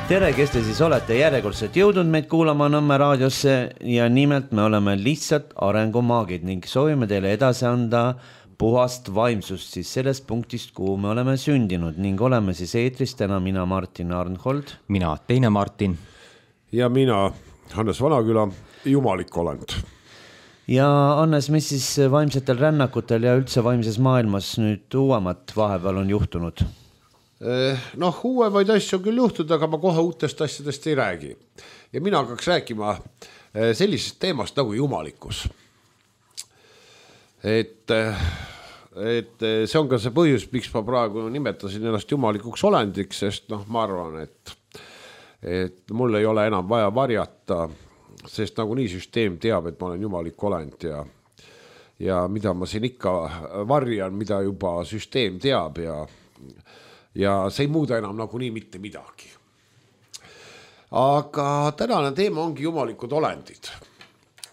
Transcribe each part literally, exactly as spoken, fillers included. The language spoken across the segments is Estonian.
Tere, kes te siis olete järjekordselt jõudnud meid kuulama Nõmme raadiosse ja nimelt me oleme lihtsalt arengumaagid ning soovime teile edasi anda puhast vaimsust siis sellest punktist, kuhu me oleme sündinud ning oleme siis eetris täna mina Martin Arnhold. Mina teine Martin. Ja mina Hannes Vanaküla, jumalik olend. Ja Hannes, mis siis vaimsetel rännakutel ja üldse vaimses maailmas nüüd uuemat vahepeal on juhtunud? Noh, uuemaid asju on küll juhtunud, aga ma kohe uutest asjadest ei räägi. Ja mina hakkaks rääkima sellisest teemast nagu jumalikkus. Et, et see on ka see põhjus, miks ma praegu nimetasin ennast jumalikuks olendiks, sest noh, ma arvan, et, et mul ei ole enam vaja varjata, sest nagu nii süsteem teab, et ma olen jumalik olend ja, ja mida ma siin ikka varjan, mida juba süsteem teab ja ja see ei muuda enam nagu nii mitte midagi. Aga tänane teema ongi jumalikud olendid,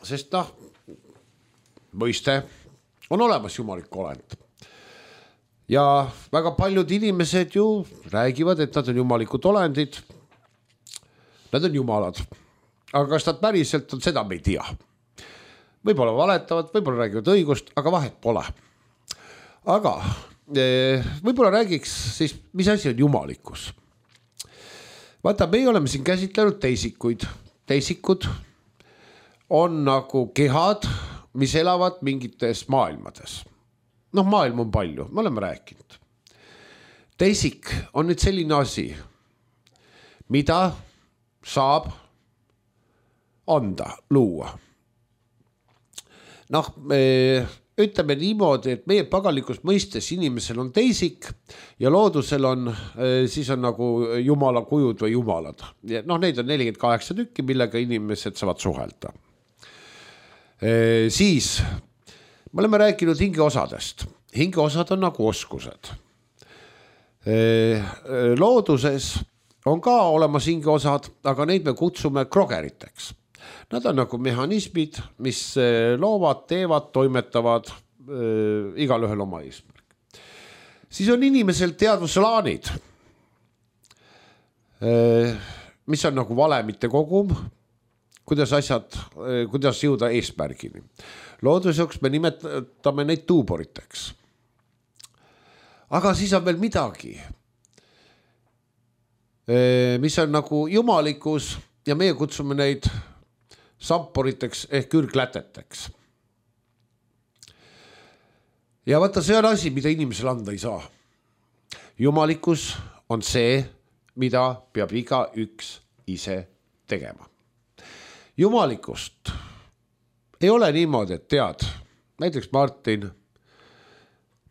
sest noh, mõiste on olemas jumalik olend. Ja väga paljud inimesed ju räägivad, et nad on jumalikud olendid, nad on jumalad, aga kas nad päriselt on, seda me ei tea. Võib-olla valetavad, võib-olla räägivad õigust, aga vahet pole. Aga võib-olla räägiks siis, mis asi on jumalikkus. Vaata, me oleme siin käsitlenud teisikuid. Teisikud on nagu kehad, mis elavad mingites maailmades. Noh, maailm on palju, me oleme rääkinud. Teisik on nüüd selline asi, mida saab anda, luua. Noh, me ütleme niimoodi, et meie pagalikus mõistes inimesel on teisik ja loodusel on, siis on nagu jumala kujud või jumalad. Noh, neid on nelikümmend kaheksa tükki, millega inimesed saavad suhelda. E, siis me oleme rääkinud hingeosadest. Hingeosad on nagu oskused. E, looduses on ka olemas hingeosad, aga neid me kutsume krogeriteks. Nad on nagu mehhanismid, mis loovad, teevad, toimetavad äh, igal ühel oma eesmärk. Siis on inimesel teadvuslaanid, äh, mis on nagu valemite kogum, kuidas asjad, äh, kuidas jõuda eesmärgini. Looduseks me nimetame neid tuuboriteks. Aga siis on veel midagi, äh, mis on nagu jumalikus ja meie kutsume neid samporiteks ehk ürgläteteks. Ja vaata, see on asi, mida inimesel anda ei saa. Jumalikkus on see, mida peab iga üks ise tegema. Jumalikust ei ole niimoodi, et tead, näiteks Martin,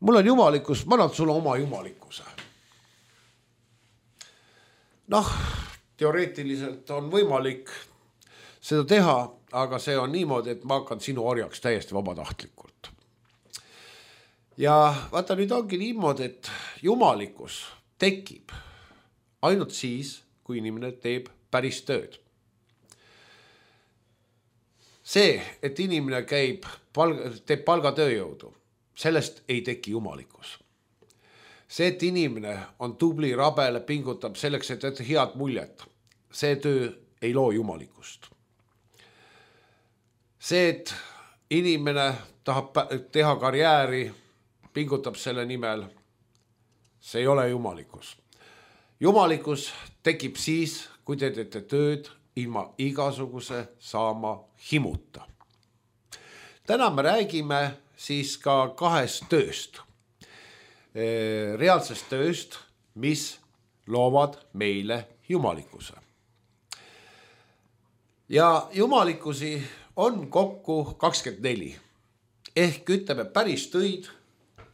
mul on jumalikkus, ma annan sulle oma jumalikkuse. Noh, teoreetiliselt on võimalik seda teha, aga see on niimoodi, et ma hakkan sinu orjaks täiesti vabatahtlikult. Ja vaata, nüüd ongi niimoodi, et jumalikkus tekib ainult siis, kui inimene teeb päris tööd. See, et inimene käib, teeb palgatööjõudu, sellest ei teki jumalikkus. See, et inimene on tubli, rabele, pingutab selleks, et et head muljet, see töö ei loo jumalikust. See, et inimene tahab teha karjääri, pingutab selle nimel, see ei ole jumalikkus. Jumalikkus tekib siis, kui te teete tööd ilma igasuguse saama himuta. Täna me räägime siis ka kahest tööst. Reaalsest tööst, mis loovad meile jumalikkuse. Ja jumalikkusi on kokku kakskümmend neli. Ehk ütleme, päris töid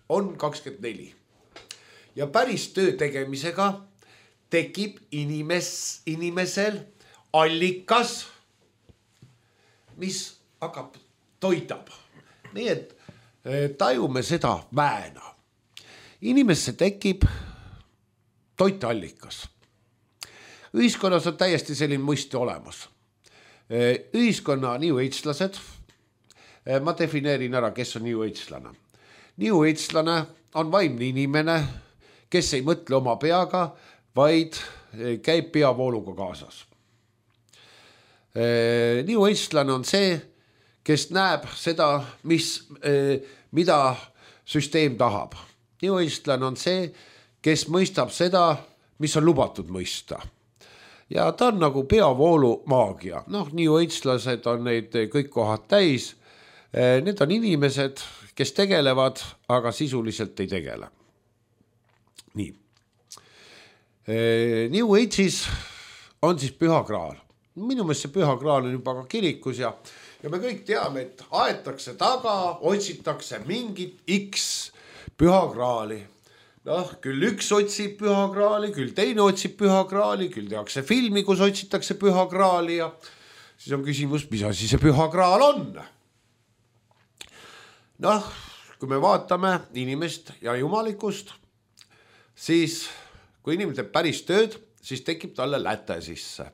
on kakskümmend neli. Ja päris töö tegemisega tekib inimes, inimesel allikas, mis hakkab, toidab. Nii et tajume seda väena. Inimesse tekib toiteallikas. Ühiskonnas on täiesti selline mõiste olemas. Ühiskonna New Age-lased, ma defineerin ära, kes on New Age-lane. New Age-lane on vaimne inimene, kes ei mõtle oma peaga, vaid käib peavooluga kaasas. New Agelane on see, kes näeb seda, mis, mida süsteem tahab. New Agelane on see, kes mõistab seda, mis on lubatud mõista. Ja ta on nagu peavoolu maagia. Noh, New Agelased on neid kõik kohad täis. Need on inimesed, kes tegelevad, aga sisuliselt ei tegele. Nii. New Age'is on siis püha kraal. Minu meelest see püha kraal on juba ka kirikus ja, ja me kõik teame, et aetakse taga, otsitakse mingit X püha kraali. Noh, küll üks otsib püha kraali, küll teine otsib püha kraali, küll tehakse filmi, kus otsitakse püha kraali ja siis on küsimus, mis asi see püha kraal on? Noh, kui me vaatame inimest ja jumalikust, siis kui inimene teeb päris tööd, siis tekib talle läte sisse.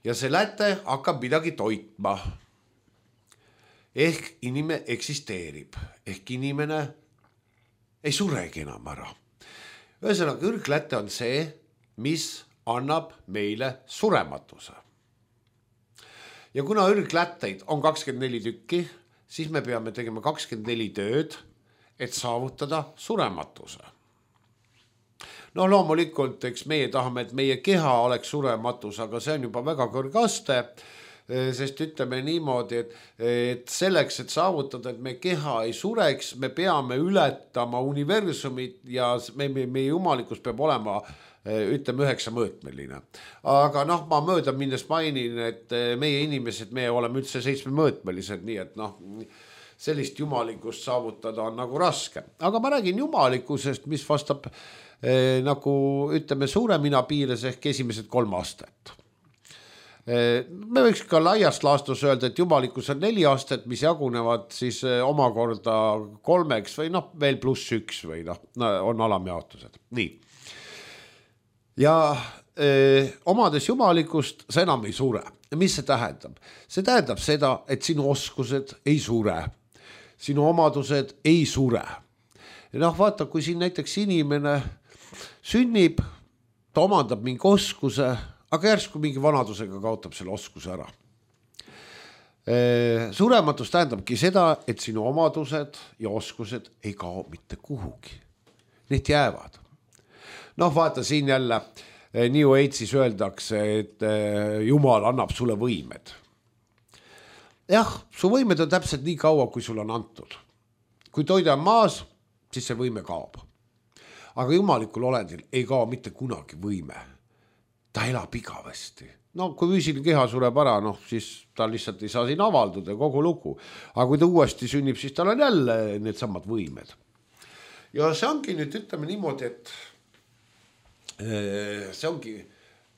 Ja see läte hakkab midagi toitma. Ehk inimene eksisteerib. Ehk inimene ei suregi enam ära. Ühesõnaga, ürgläte on see, mis annab meile surematuse. Ja kuna ürglätteid on kakskümmend neli tükki, siis me peame tegema kakskümmend neli tööd, et saavutada surematuse. No loomulikult, eks meie tahame, et meie keha oleks surematus, aga see on juba väga kõrgaste, sest ütleme niimoodi, et, et selleks, et saavutada, et meie keha ei sureks, me peame ületama universumit ja me, me, meie jumalikkus peab olema ütleme üheksa mõõtmeline. Aga noh, ma mööda minnes mainin, et meie inimesed, me oleme üldse seitsme mõõtmelised, nii et noh, sellist jumalikust saavutada on nagu raske. Aga ma räägin jumalikkusest, mis vastab eh, nagu ütleme suure mina piires ehk esimesed kolm astet. Eh, me võiks ka laiast laastus öelda, et jumalikkus on neli astet, mis jagunevad siis eh, omakorda kolmeks või noh, veel pluss üks või noh, on alamjaotused. Nii. Ja öö, omades jumalikust sa enam ei sure. Mis see tähendab? See tähendab seda, et sinu oskused ei sure. Sinu omadused ei sure. Ja noh, vaata, kui siin näiteks inimene sünnib, ta omandab mingi oskuse, aga järsku mingi vanadusega kaotab selle oskuse ära. Öö, surematus tähendabki seda, et sinu omadused ja oskused ei kao mitte kuhugi. Need jäävad. Noh, vaata siin jälle New Age'is öeldakse, et Jumal annab sulle võimed. Jah, su võimed on täpselt nii kaua, kui sul on antud. Kui toida on maas, siis see võime kaob. Aga jumalikul olendil ei kao mitte kunagi võime. Ta elab igavesti. No kui füüsiline keha sureb ära, noh, siis ta lihtsalt ei saa siin avalduda kogu lugu. Aga kui ta uuesti sünnib, siis tal on jälle need samad võimed. Ja see ongi nüüd ütleme niimoodi, et see ongi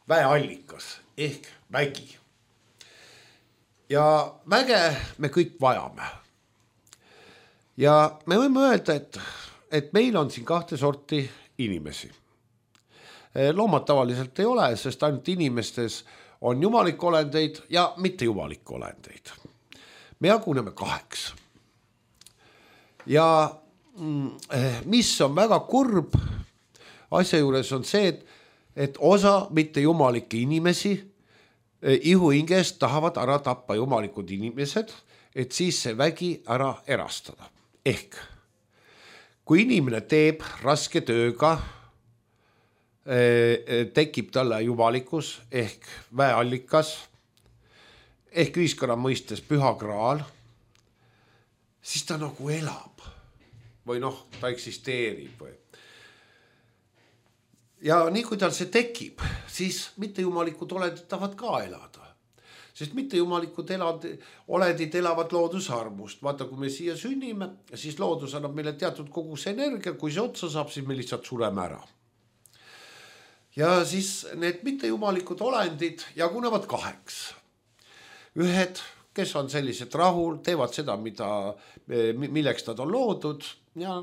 väeallikas ehk vägi. Ja väge me kõik vajame. Ja me võime öelda, et, et meil on siin kahte sorti inimesi. Loomad tavaliselt ei ole, sest ainult inimestes on jumalik olendeid ja mitte jumalik olendeid. Me jaguneme kaheks. Ja mis on väga kurb, asja juures on see, et, et osa mitte jumalikke inimesi ihuingest tahavad ära tappa jumalikud inimesed, et siis see vägi ära erastada. Ehk kui inimene teeb raske tööga, tekib talle jumalikkus ehk väeallikas, ehk ühiskonna mõistes püha kraal, siis ta nagu elab või noh, ta eksisteerib või. Ja nii kui tal see tekib, siis mittejumalikud olendid tahavad ka elada. Sest mittejumalikud olendid elavad loodusarmust. Vaata, kui me siia sünnime, siis loodus annab meile teatud kogus energia, kui see otsa saab, siis me lihtsalt sureme ära. Ja siis need mittejumalikud olendid jagunevad kaheks. Ühed, kes on sellised rahul, teevad seda, mida, milleks nad on loodud ja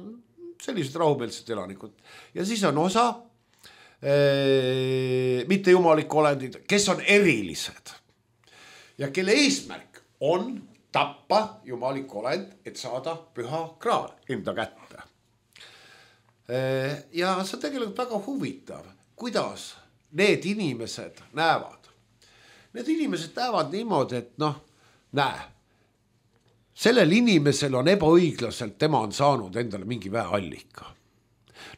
sellised rahumeelsed elanikud. Ja siis on osa mitte jumalik olendid, kes on erilised ja kelle eesmärk on tappa jumalik olend, et saada püha kraal enda kätte. Ja see on tegelikult väga huvitav, kuidas need inimesed näevad? Need inimesed näevad niimoodi, et noh, näe, sellel inimesel on ebaõiglaselt, tema on saanud endale mingi väeallika.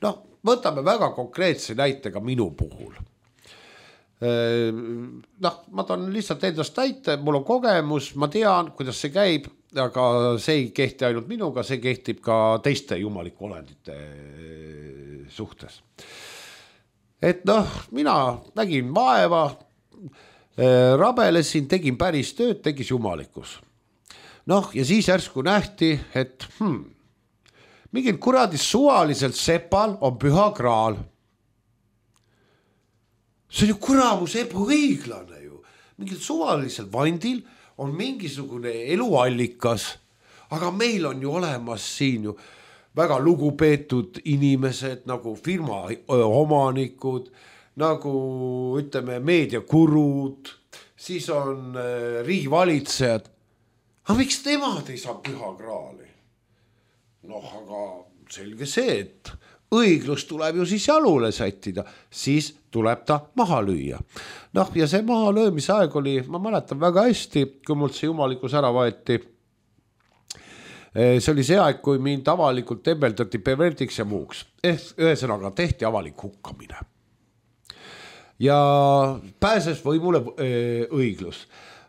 Noh, võtame väga konkreetse näite ka minu puhul. Noh, ma tahan lihtsalt endast näite, mul on kogemus, ma tean, kuidas see käib, aga see ei kehti ainult minuga, see kehtib ka teiste jumaliku olendite suhtes. Et noh, mina nägin vaeva, rabelesin, tegin päris tööd, tegis jumalikus. Noh, ja siis järsku nähti, et hmm, mingil kuradis suvaliselt sepal on püha kraal. See on ju kuramus ebaõiglane ju. Mingil suvalisel vandil on mingisugune eluallikas, aga meil on ju olemas siin ju väga lugupeetud inimesed nagu firma omanikud, nagu ütleme meediakurud, siis on riigivalitsejad. Aga miks temad ei saa püha kraali? Noh, aga selge see, et õiglus tuleb ju siis jalule sättida, siis tuleb ta maha lüüa. Noh, ja see maha löömise aeg oli, ma mäletan väga hästi, kui mult see jumalikus ära võeti. See oli see aeg, kui mind avalikult tembeldati pervertiks ja muuks. Ehk ühesõnaga tehti avalik hukkamine. Ja pääses võimule õiglus.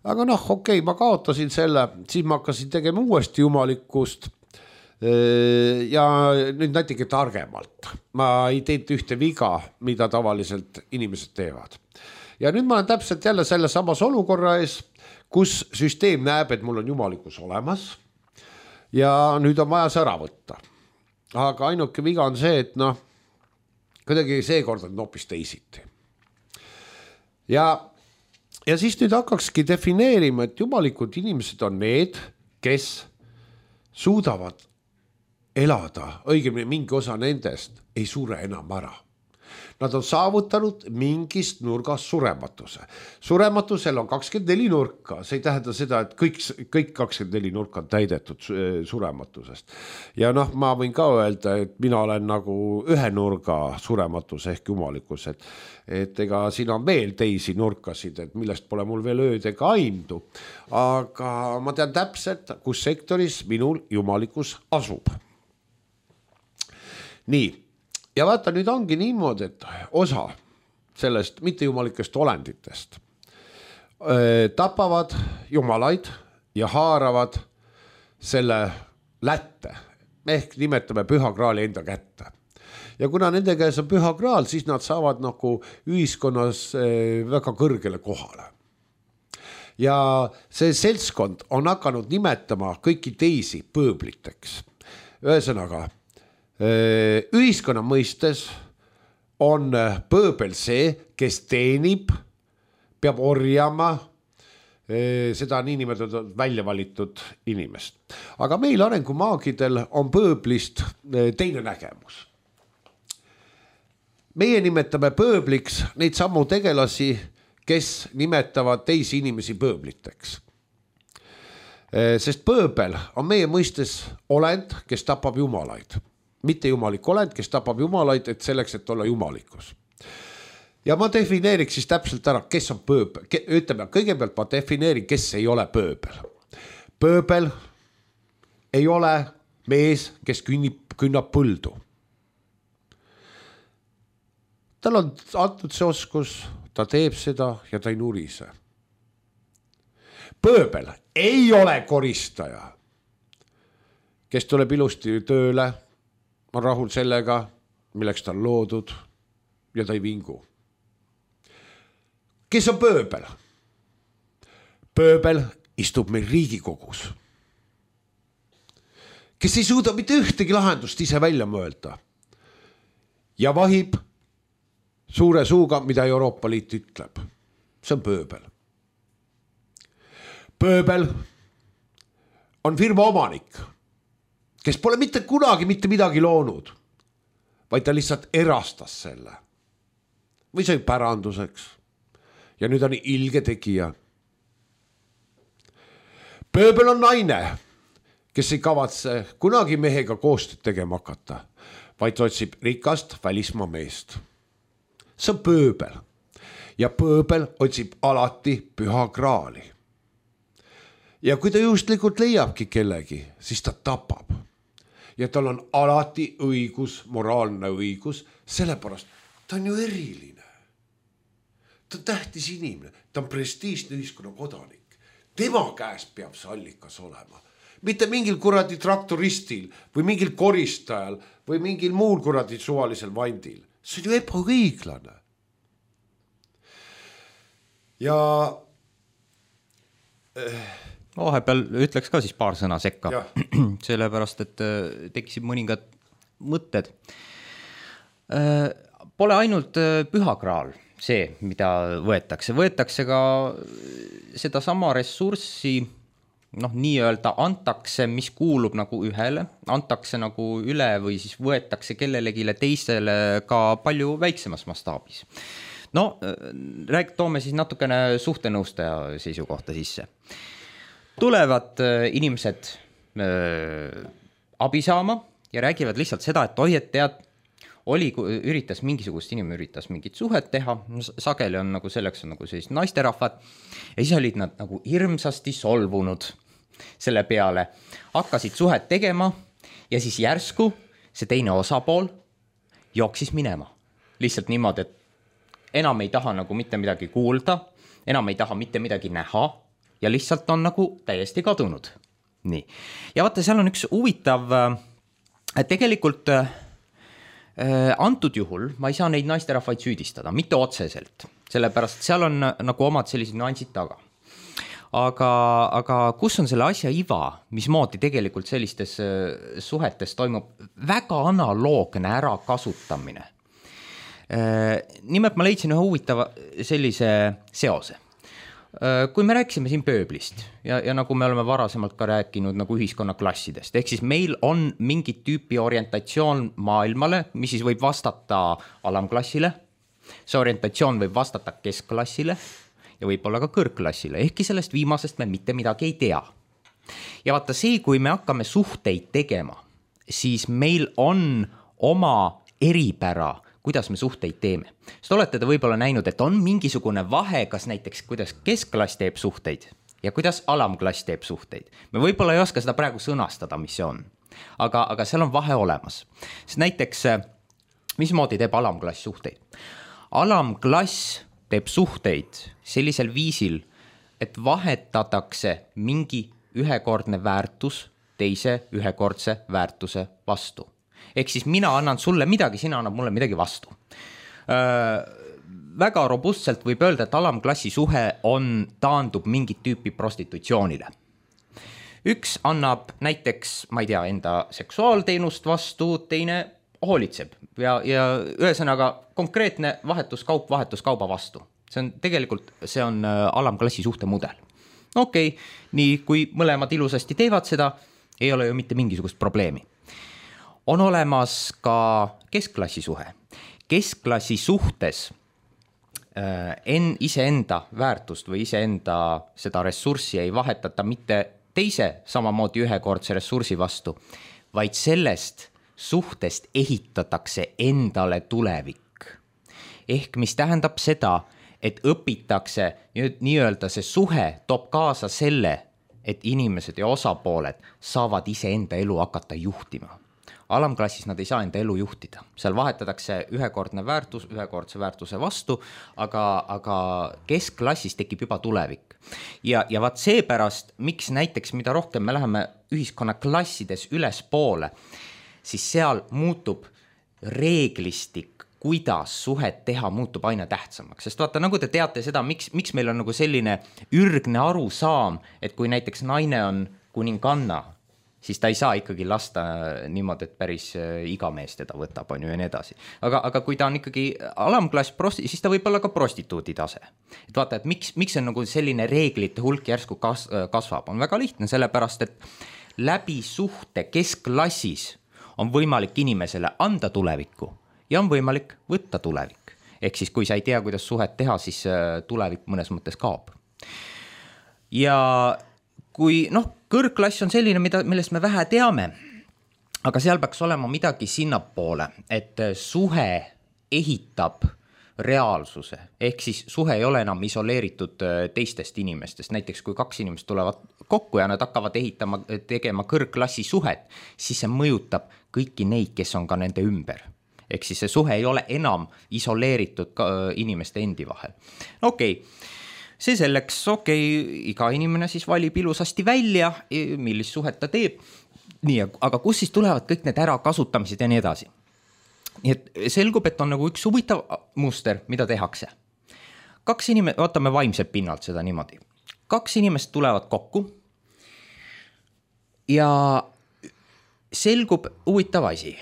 Aga noh, okei, ma kaotasin selle, siis ma hakkasin tegema uuesti jumalikust. Ja nüüd natuke targemalt. Ma ei teinud ühte viga, mida tavaliselt inimesed teevad. Ja nüüd ma olen täpselt jälle selle samas olukorra ees, kus süsteem näeb, et mul on jumalikus olemas ja nüüd on vaja see ära võtta. Aga ainuke viga on see, et noh, kuidagi seekord on hoopis teisiti. Ja, ja siis nüüd hakkakski defineerima, et jumalikud inimesed on need, kes suudavad elada, õigemini mingi osa nendest ei sure enam ära. Nad on saavutanud mingist nurgast surematuse. Surematusel on kakskümmend neli nurka, see ei tähenda seda, et kõik, kõik kakskümmend neli nurka on täidetud surematusest. Ja noh, ma võin ka öelda, et mina olen nagu ühe nurga surematus ehk jumalikus, et, et ega siin on veel teisi nurkasid, et millest pole mul veel ööd ega aimdu. Aga ma tean täpselt, kus sektoris minul jumalikus asub. Nii, ja vaata, nüüd ongi niimoodi, et osa sellest mittejumalikest olenditest öö, tapavad jumalaid ja haaravad selle lätte, ehk nimetame püha kraali enda kätte. Ja kuna nende käes on püha kraal, siis nad saavad nagu ühiskonnas öö, väga kõrgele kohale. Ja see seltskond on hakanud nimetama kõiki teisi pööbliteks. Ühesõnaga, ühiskonna mõistes on pööbel see, kes teenib, peab orjama seda niinimetatud välja valitud inimest. Aga meil arengumaagidel on pööblist teine nägemus. Meie nimetame pööbliks neid sammu tegelasi, kes nimetavad teisi inimesi pööbliteks. Sest pööbel on meie mõistes olend, kes tapab jumalaid. Mitte jumalik olend, kes tapab jumalaid, et selleks, et olla jumalikus. Ja ma defineeriks siis täpselt ära, kes on pööbel. Ütleme, kõigepealt ma defineerin, kes ei ole pööbel. Pööbel ei ole mees, kes künnib, künnab põldu. Tal on antud see oskus, ta teeb seda ja ta ei nurise. Pööbel ei ole koristaja, kes tuleb ilusti tööle, on rahul sellega, milleks ta on loodud ja ta ei vingu. Kes on pööbel? Pööbel istub meil Riigikogus, kes ei suuda mitte ühtegi lahendust ise välja mõelda ja vahib suure suuga, mida Euroopa Liit ütleb. See on pööbel. Pööbel on firma omanik, kes pole mitte kunagi mitte midagi loonud, vaid ta lihtsalt erastas selle. Või sai päranduseks. Ja nüüd on ilge tegija. Pööbel on naine, kes ei kavatse kunagi mehega koostööd tegema hakata, vaid otsib rikast välismaa meest. See on pööbel. ja pööbel otsib alati püha graali. Ja kui ta juhuslikult leiabki kellegi, siis ta tapab. Ja tal on alati õigus, moraalne õigus, sellepärast ta on ju eriline. Ta on tähtis inimene, ta on prestiižne ühiskonna kodanik. Tema käes peab see allikas olema. Mitte mingil kuradi traktoristil või mingil koristajal või mingil muul kuradi suvalisel vandil. See on ju ebaõiglane. Ja vahepeal ütleks ka siis paar sõna sekka, sellepärast, et tekkisid mõningad mõtted. Pole ainult püha graal see, mida võetakse. Võetakse ka seda sama ressurssi, noh, nii-öelda antakse, mis kuulub nagu ühele, antakse nagu üle või siis võetakse kellelegile teisele ka palju väiksemas mastaabis. No, rääg, toome siis natukene suhtenõustaja seisukohta sisse. Tulevad inimesed äh, abi saama ja räägivad lihtsalt seda, et oi, et tead, oli, üritas mingisugust inimene üritas mingit suhet teha, sageli on nagu selleks on nagu sellist naisterahvad ja siis olid nad nagu hirmsasti solvunud selle peale, hakkasid suhet tegema ja siis järsku see teine osapool jooksis minema. Lihtsalt niimoodi, et enam ei taha nagu mitte midagi kuulda, enam ei taha mitte midagi näha ja lihtsalt on nagu täiesti kadunud. Nii. Ja vaata, seal on üks huvitav, tegelikult äh, antud juhul ma ei saa neid naisterahvaid süüdistada, mitte otseselt, sellepärast seal on nagu omad sellised nüansid taga. Aga, aga kus on selle asja iva, mismoodi tegelikult sellistes suhetes toimub väga analoogne ära kasutamine. Nimelt ma leidsin ühe huvitava sellise seose. Kui me rääkisime siin pööblist ja, ja nagu me oleme varasemalt ka rääkinud nagu ühiskonnaklassidest, ehk siis meil on mingit tüüpi orientatsioon maailmale, mis siis võib vastata alamklassile, see orientatsioon võib vastata keskklassile ja võib-olla ka kõrgklassile, ehkki sellest viimasest me mitte midagi ei tea. Ja vaata see, kui me hakkame suhteid tegema, siis meil on oma eripära, kuidas me suhteid teeme. Sest olete te võib-olla näinud, et on mingisugune vahe, kas näiteks kuidas keskklass teeb suhteid ja kuidas alamklass teeb suhteid. Me võib-olla ei oska seda praegu sõnastada, mis see on. Aga, aga seal on vahe olemas. Sest näiteks, mismoodi teeb alamklass suhteid? Alamklass teeb suhteid sellisel viisil, et vahetatakse mingi ühekordne väärtus teise ühekordse väärtuse vastu. Ehk siis mina annan sulle midagi, sina annad mulle midagi vastu. Äh, väga robustselt võib öelda, et alamklassi suhe on, taandub mingit tüüpi prostitutsioonile. Üks annab näiteks, ma ei tea, enda seksuaalteenust vastu, teine hoolitseb ja, ja ühesõnaga konkreetne vahetuskaup vahetuskauba vastu. See on tegelikult, see on alamklassi suhte mudel. Okei, okay, nii kui mõlemad ilusasti teevad seda, ei ole ju mitte mingisugust probleemi. On olemas ka keskklassi suhe. Keskklassi suhtes äh, en, iseenda väärtust või iseenda seda ressurssi ei vahetata mitte teise samamoodi ühekordse ressursi vastu, vaid sellest suhtest ehitatakse endale tulevik. Ehk mis tähendab seda, et õpitakse nii-öelda see suhe toob kaasa selle, et inimesed ja osapooled saavad iseenda elu hakata juhtima. Alamklassis nad ei saa enda elu juhtida. Seal vahetatakse ühekordne väärtus, ühekordse väärtuse vastu, aga, aga keskklassis tekib juba tulevik. Ja, ja vaat seepärast, miks näiteks, mida rohkem me läheme ühiskonnaklassides üles poole, siis seal muutub reeglistik, kuidas suhet teha, muutub aina tähtsamaks. Sest vaata, nagu te teate seda, miks, miks meil on nagu selline ürgne arusaam, et kui näiteks naine on kuninganna, siis ta ei saa ikkagi lasta niimoodi, et päris iga mees teda võtab, on ju ja nii edasi. Aga, aga kui ta on ikkagi alamklass, prosti, siis ta võib olla ka prostituudi tase. Et vaata, et miks, miks on nagu selline reeglite hulk järsku kas, kasvab, on väga lihtne, sellepärast, et läbi suhte keskklassis on võimalik inimesele anda tulevikku ja on võimalik võtta tulevik. Ehk siis, kui sa ei tea, kuidas suhet teha, siis tulevik mõnes mõttes kaob. Ja kui, noh, kõrgklass on selline, mida, millest me vähe teame, aga seal peaks olema midagi sinnapoole, et suhe ehitab reaalsuse, ehk siis suhe ei ole enam isoleeritud teistest inimestest, näiteks kui kaks inimest tulevad kokku ja nad hakkavad ehitama, tegema kõrgklassi suhet, siis see mõjutab kõiki neid, kes on ka nende ümber. Ehk siis see suhe ei ole enam isoleeritud inimeste endi vahel. Okei, see selleks, okei, iga inimene siis valib ilusasti välja, millist suhet ta teeb, nii, aga kus siis tulevad kõik need ärakasutamised ja nii edasi. Nii et selgub, et on nagu üks huvitav muster, mida tehakse. Kaks inimest, vaatame vaimselt pinnalt seda niimoodi. Kaks inimest tulevad kokku ja selgub huvitav asi.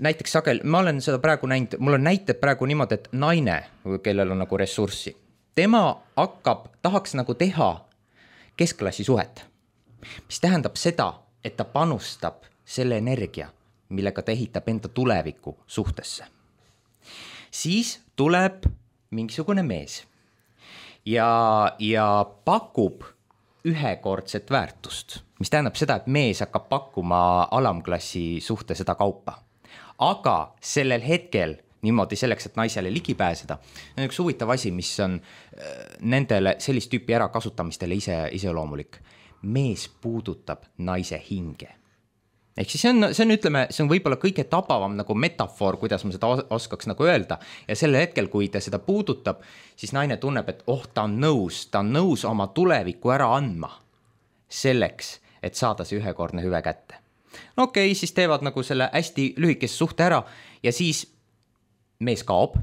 Näiteks sagel, ma olen seda praegu näinud, mul on näited praegu niimoodi, et naine, kellel on nagu ressurssi, tema hakkab, tahaks nagu teha keskklassi suhet, mis tähendab seda, et ta panustab selle energia, millega ta ehitab enda tuleviku suhtesse. Siis tuleb mingisugune mees ja, ja pakub ühekordset väärtust, mis tähendab seda, et mees hakkab pakkuma alamklassi suhte seda kaupa. Aga sellel hetkel niimoodi selleks, et naisele ligi pääseda, on üks huvitav asi, mis on nendele sellist tüüpi ärakasutamistele ise, ise loomulik. Mees puudutab naise hinge. Ehk siis see on, see on, ütleme, see on võib-olla kõige tabavam nagu metafoor, kuidas ma seda oskaks nagu öelda. Ja sellel hetkel, kui ta seda puudutab, siis naine tunneb, et oh, ta on nõus, ta on nõus oma tuleviku ära andma selleks, et saada see ühekordne hüve kätte. No okei, okay, siis teevad nagu selle hästi lühikese suhte ära ja siis mees kaob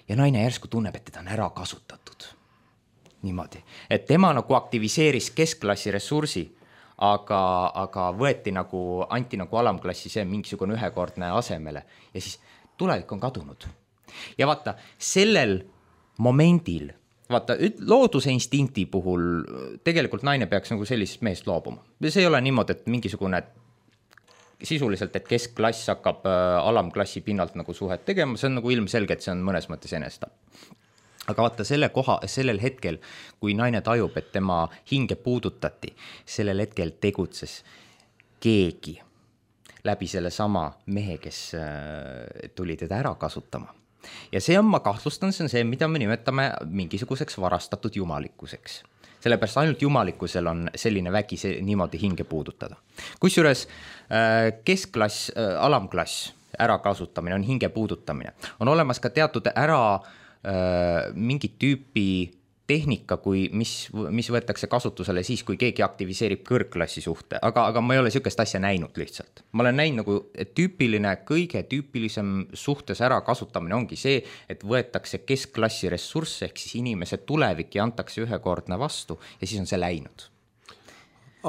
ja naine järsku tunneb, et teda on ära kasutatud. Niimoodi, et tema nagu aktiviseeris keskklassi ressursi, aga, aga võeti nagu, anti nagu alamklassi see mingisugune ühekordne asemele ja siis tulevik on kadunud. Ja vaata, sellel momendil, vaata, looduse instinkti puhul tegelikult naine peaks nagu sellisest meest loobuma. See ei ole niimoodi, et mingisugune sisuliselt, et keskklass hakkab alamklassi pinnalt nagu suhet tegema, see on nagu ilmselge, et see on mõnes mõttes enestab. Aga vaata, selle koha, sellel hetkel, kui naine tajub, et tema hinge puudutati, sellel hetkel tegutses keegi läbi selle sama mehe, kes tuli teda ära kasutama. Ja see on, ma kahtlustan, see on see, mida me nimetame mingisuguseks varastatud jumalikkuseks. Sellepärast ainult jumalikkusel on selline vägi see, niimoodi hinge puudutada. Kusjuures keskklass, alamklass, ärakasutamine on hinge puudutamine. On olemas ka teatud ära mingi tüüpi tehnika, kui, mis, mis võetakse kasutusele siis, kui keegi aktiviseerib kõrgklassi suhte, aga, aga ma ei ole sükest asja näinud lihtsalt. Ma olen näinud nagu, et tüüpiline, kõige tüüpilisem suhtes ära kasutamine ongi see, et võetakse keskklassi ressursse, ehk siis inimese tulevik ja antakse ühekordne vastu ja siis on see läinud.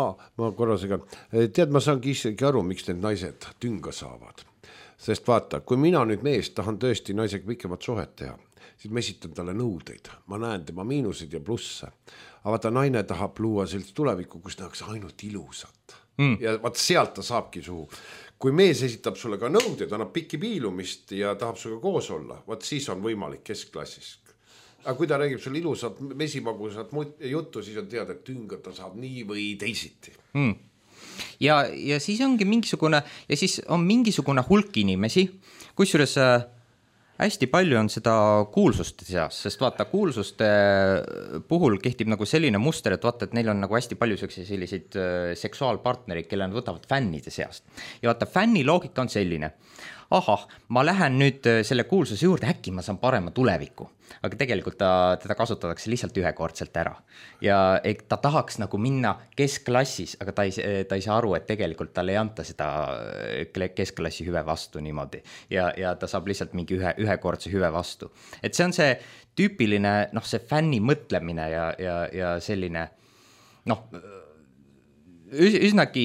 Aa, ma korra segan. Tead, ma saangi isegi aru, miks need naised tünga saavad. Sest vaata, kui mina nüüd mees tahan tõesti naisega pikemat suhet teha, siis ma esitan talle nõudeid. Ma näen tema miinuseid ja plusse. Aga vaata, naine tahab luua sellist tulevikku, kus nähakse ainult ilusat. Mm. Ja vaata, sealt ta saabki suhu. Kui mees esitab sulle ka nõudeid, annab pikki piilumist ja tahab suga koos olla, vaat siis on võimalik keskklassis. Aga kui ta räägib sulle ilusat mesimagusat juttu, siis on teada, et tünga ta saab nii või teisiti. Mm. Ja, ja siis ongi mingisugune, ja siis on mingisugune hulk inimesi, kusjuures hästi palju on seda kuulsuste seas, sest vaata, kuulsuste puhul kehtib nagu selline muster, et vaata, et neil on nagu hästi palju selliseid seksuaalpartnerid, kelle nad võtavad fännide seast. Ja vaata, fänni loogika on selline, ahah, ma lähen nüüd selle kuulsuse juurde, äkki ma saan parema tuleviku, aga tegelikult ta, teda kasutatakse lihtsalt ühekordselt ära. Ja ta tahaks nagu minna keskklassis, aga ta ei, ta ei saa aru, et tegelikult talle ei anta seda keskklassi hüve vastu niimoodi. Ja, ja ta saab lihtsalt mingi ühe, ühekordse hüve vastu. Et see on see tüüpiline, noh, see fänni mõtlemine ja, ja, ja selline, noh, üsnagi,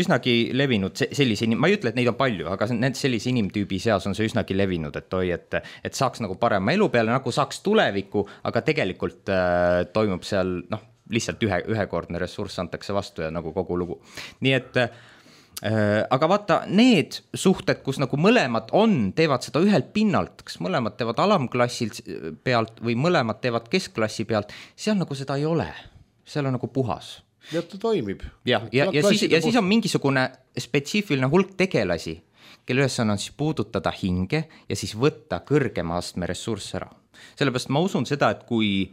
üsnagi levinud sellise, ma ei ütle, et neid on palju, aga need sellise inimtüübi seas on see üsnagi levinud, et oi, et, et saaks nagu parema elu peale, nagu saaks tuleviku, aga tegelikult äh, toimub seal, noh, lihtsalt ühe, ühekordne ressurss antakse vastu ja nagu kogu lugu. Nii et, äh, aga vaata, need suhted, kus nagu mõlemad on, teevad seda ühelt pinnalt, kas mõlemad teevad alamklassilt pealt või mõlemad teevad keskklassi pealt, seal nagu seda ei ole, seal on nagu puhas. Ja ta toimib. Ja, ja, ja, siis, ja siis on mingisugune spetsiifiline hulk tegelasi, kelle ülesanne on siis puudutada hinge ja siis võtta kõrgema astme ressurss ära. Sellepärast ma usun seda, et kui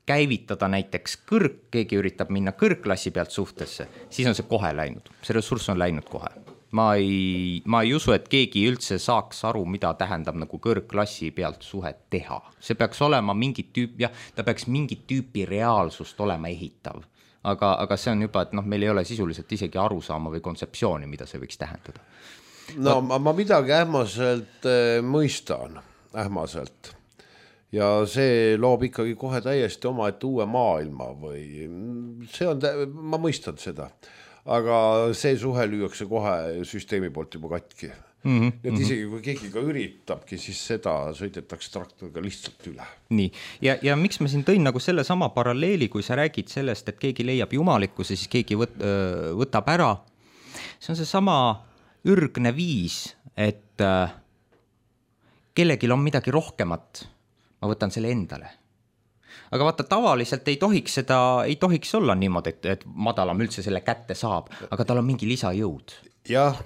käivitada näiteks kõrg, keegi üritab minna kõrgklassi pealt suhtesse, siis on see kohe läinud, see ressurss on läinud kohe. Ma ei, ma ei usu, et keegi üldse saaks aru, mida tähendab nagu kõrgklassi pealt suhet teha. See peaks olema mingit tüüp, jah, ta peaks mingit tüüpi reaalsust olema ehitav. Aga, aga see on juba, et noh, meil ei ole sisuliselt isegi arusaama või kontseptsiooni, mida see võiks tähendada. No ma, ma midagi ähmaselt äh, mõistan, ähmaselt. Ja see loob ikkagi kohe täiesti oma, et uue maailma või see on, ma mõistan seda. Aga see suhe lüüakse kohe süsteemi poolt juba katki. Mm-hmm. Et isegi kui keegi ka üritabki, siis seda sõidetakse traktoriga lihtsalt üle. Nii, ja, ja miks ma siin tõin nagu selle sama paralleeli, kui sa räägid sellest, et keegi leiab jumalikkuse, siis keegi võt, võtab ära. See on see sama ürgne viis, et kellelgi on midagi rohkemat, ma võtan selle endale. Aga vaata, tavaliselt ei tohiks seda, ei tohiks olla niimoodi, et, et madalam üldse selle kätte saab, aga tal on mingi lisajõud. Jah,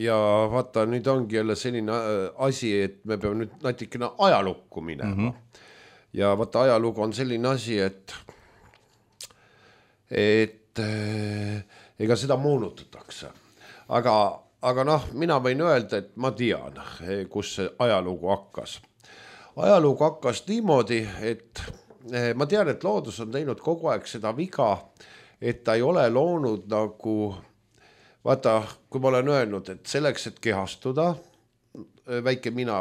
ja vaata, nüüd ongi jälle selline asi, et me peame nüüd natikene ajalukku minema. Mm-hmm. Ja vaata, ajalugu on selline asi, et, et ega seda moonutatakse. Aga, aga noh, mina võin öelda, et ma tean, kus see ajalugu hakkas. Ajalugu hakkas niimoodi, et ma tean, et loodus on teinud kogu aeg seda viga, et ta ei ole loonud nagu, vaata, kui ma olen öelnud, et selleks, et kehastuda, väike mina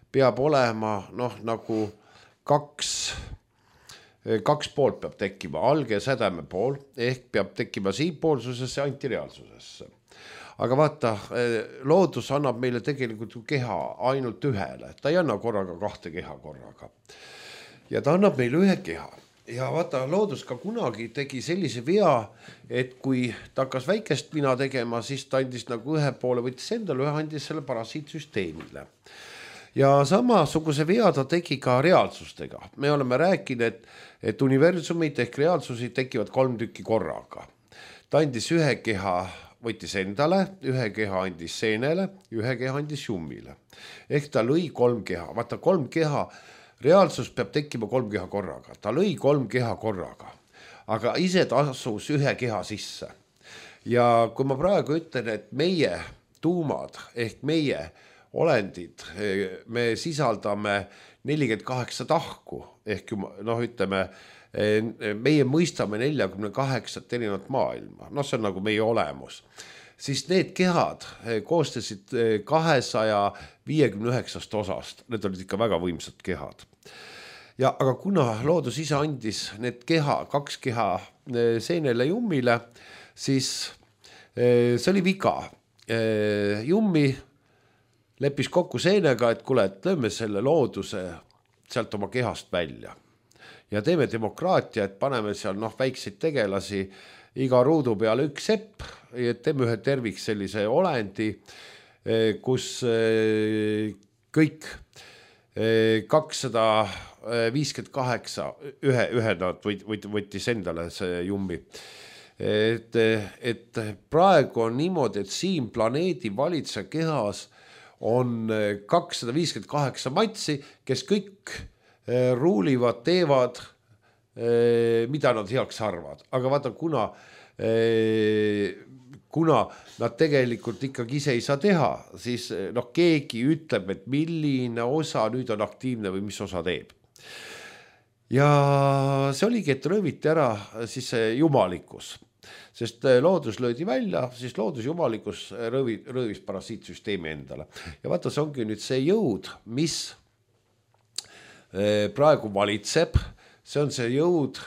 peab olema, noh, nagu kaks, kaks poolt peab tekkima, alge ja sädeme pool, ehk peab tekkima siinpoolsusesse ja antireaalsusesse. Aga vaata, loodus annab meile tegelikult keha ainult ühele, ta ei anna korraga kahte keha korraga. Ja ta annab meile ühe keha. Ja vaata, loodus ka kunagi tegi sellise vea, et kui ta hakkas väikest mina tegema, siis ta andis nagu ühe poole, võttis endale ühe, andis selle parasiitsüsteemile. Ja samasuguse vea ta tegi ka reaalsustega. Me oleme rääkinud, et, et universumid ehk reaalsusi tekivad kolm tükki korraga. Ta andis ühe keha, võttis endale, ühe keha andis seenele, ühe keha andis jummile. Ehk ta lõi kolm keha. Vaata, kolm keha reaalsus peab tekkima kolm keha korraga. Ta lõi kolm keha korraga, aga ise ta asus ühe keha sisse. Ja kui ma praegu ütlen, et meie tuumad ehk meie olendid, me sisaldame nelikümmend kaheksa tahku, ehk noh, ütleme, meie mõistame neljakümne kaheksat erinevat maailma. No see on nagu meie olemus. Siis need kehad koostasid kahesaja viiekümne üheksast osast. Need olid ikka väga võimsad kehad. Ja, aga kuna loodus ise andis need keha, kaks keha seenele jummile, siis see oli viga. Jummi leppis kokku seenega, et kuule, et lööme selle looduse sealt oma kehast välja. Ja teeme demokraatia, et paneme seal noh, väikseid tegelasi iga ruudu peale üks sepp, et teeme ühe terviks sellise olendi, kus kõik kakssada viiskümmend kaheksa ühe, ühe nad võttis endale see jummi. Et, et praegu on niimoodi, et siin planeedi valitse kehas on kakssada viiskümmend kaheksa matsi, kes kõik ruulivad, teevad, mida nad heaks arvad. Aga vaata, kuna, kuna nad tegelikult ikkagi ise ei saa teha, siis noh, keegi ütleb, et milline osa nüüd on aktiivne või mis osa teeb. Ja see oligi, et rööviti ära siis jumalikkus. Sest loodus löödi välja, siis loodus jumalikkus röövi, röövis parasiitsüsteemi endale. Ja vaata, see ongi nüüd see jõud, mis praegu valitseb, see on see jõud,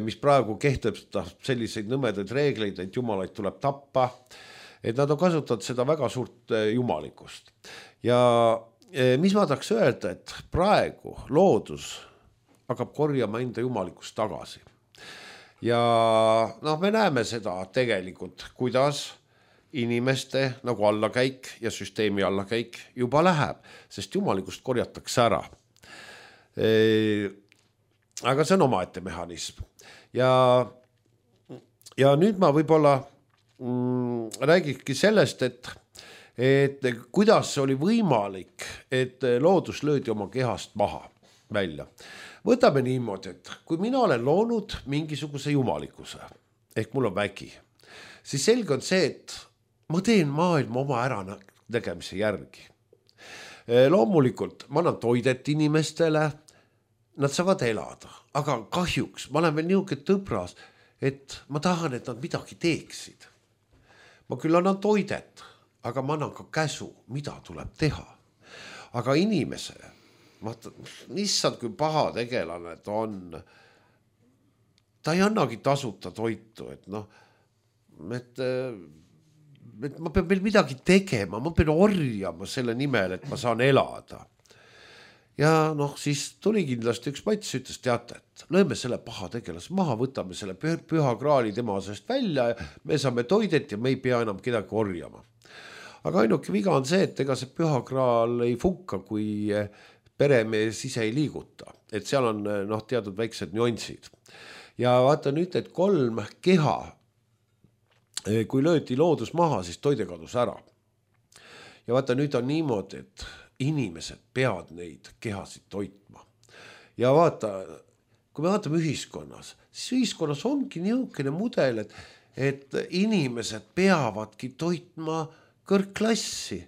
mis praegu kehtestab selliseid nõmedaid reegleid, et jumalaid tuleb tappa, et nad on kasutanud seda väga suurt jumalikust. Ja mis ma tahaks öelda, et praegu loodus hakkab korjama enda jumalikust tagasi. Ja noh, me näeme seda tegelikult, kuidas inimeste nagu allakäik ja süsteemi allakäik juba läheb, sest jumalikust korjatakse ära. Aga see on omaette mehhanism. Ja, ja nüüd ma võib-olla mm, räägikski sellest, et, et kuidas oli võimalik, et loodus löödi oma kehast maha välja. Võtame niimoodi, et kui mina olen loonud mingisuguse jumalikkuse, ehk mul on vägi, siis selge on see, et ma teen maailma oma äranägemise järgi. Loomulikult ma annan toidet inimestele, nad saavad elada, aga kahjuks ma olen veel niisugune tõbras, et ma tahan, et nad midagi teeksid. Ma küll annan toidet, aga ma annan ka käsu, mida tuleb teha. Aga inimese, vaata, issand, kui paha tegelane ta on, ta ei annagi tasuta toitu, et noh, et, et ma pean veel midagi tegema, ma pean orjama selle nimel, et ma saan elada. Ja noh, siis tuli kindlasti üks Mats, ütles, teate, et lööme selle paha tegelas maha, võtame selle püha kraali tema seest välja ja me saame toidet ja me ei pea enam kedagi orjama. Aga ainuke viga on see, et ega see püha kraal ei funka, kui peremees ise ei liiguta. Et seal on noh, teatud väiksed nüansid. Ja vaata nüüd, et kolm keha, kui lööti loodus maha, siis toide kadus ära. Ja vaata nüüd on niimoodi, et inimesed peavad neid kehasid toitma. Ja vaata, kui me vaatame ühiskonnas, siis ühiskonnas ongi niisugune mudel, et, et inimesed peavadki toitma kõrgklassi.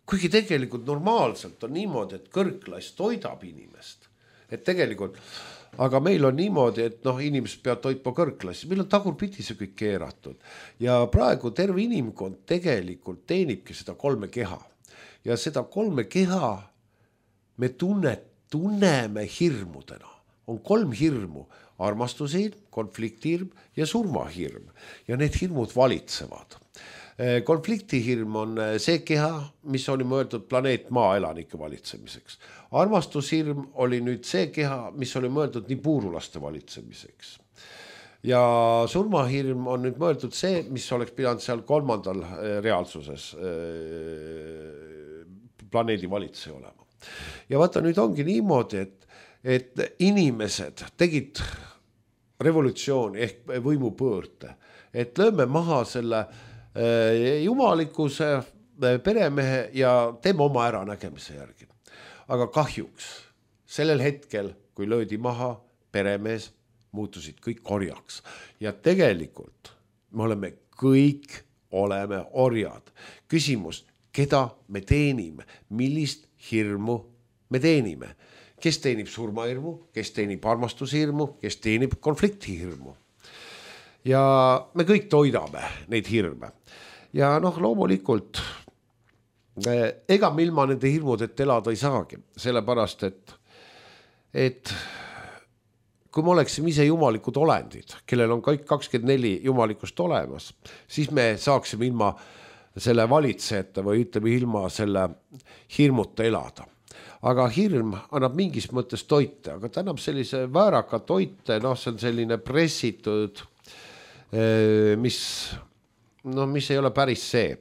Kuigi tegelikult normaalselt on niimoodi, et kõrgklass toidab inimest. Et tegelikult, aga meil on niimoodi, et noh, inimesed peavad toitma kõrgklassi. Meil on tagurpidi see kõik keeratud. Ja praegu terve inimkond tegelikult teenibki seda kolme keha. Ja seda kolme keha me tunne, tunneme hirmudena. On kolm hirmu, armastushirm, konfliktihirm ja surmahirm. Ja need hirmud valitsevad. Konfliktihirm on see keha, mis oli mõeldud planeet maa elanike valitsemiseks. Armastushirm oli nüüd see keha, mis oli mõeldud nii puurulaste valitsemiseks. Ja surmahirm on nüüd mõeldud see, mis oleks pidanud seal kolmandal reaalsuses planeedi valitseja olema. Ja vaata, nüüd ongi niimoodi, et, et inimesed tegid revolutsiooni ehk võimupöörde, et lööme maha selle jumalikkuse, peremehe ja teeme oma äranägemise järgi. Aga kahjuks sellel hetkel, kui löödi maha, peremees muutusid kõik orjaks. Ja tegelikult me oleme kõik oleme orjad. Küsimus, keda me teenime, millist hirmu me teenime. Kes teenib surmahirmu, kes teenib armastushirmu, kes teenib konfliktihirmu. Ja me kõik toidame neid hirme. Ja noh, loomulikult, ega me ilma nende hirmudeta elada ei saagi, sellepärast, et, et kui me oleksime ise jumalikud olendid, kellel on kõik kakskümmend neli jumalikust olemas, siis me saaksime ilma selle valitsejate või ütleme ilma selle hirmuta elada. Aga hirm annab mingis mõttes toite, aga ta annab sellise vääraka toite, noh, see on selline pressitud, mis, no, mis ei ole päris see.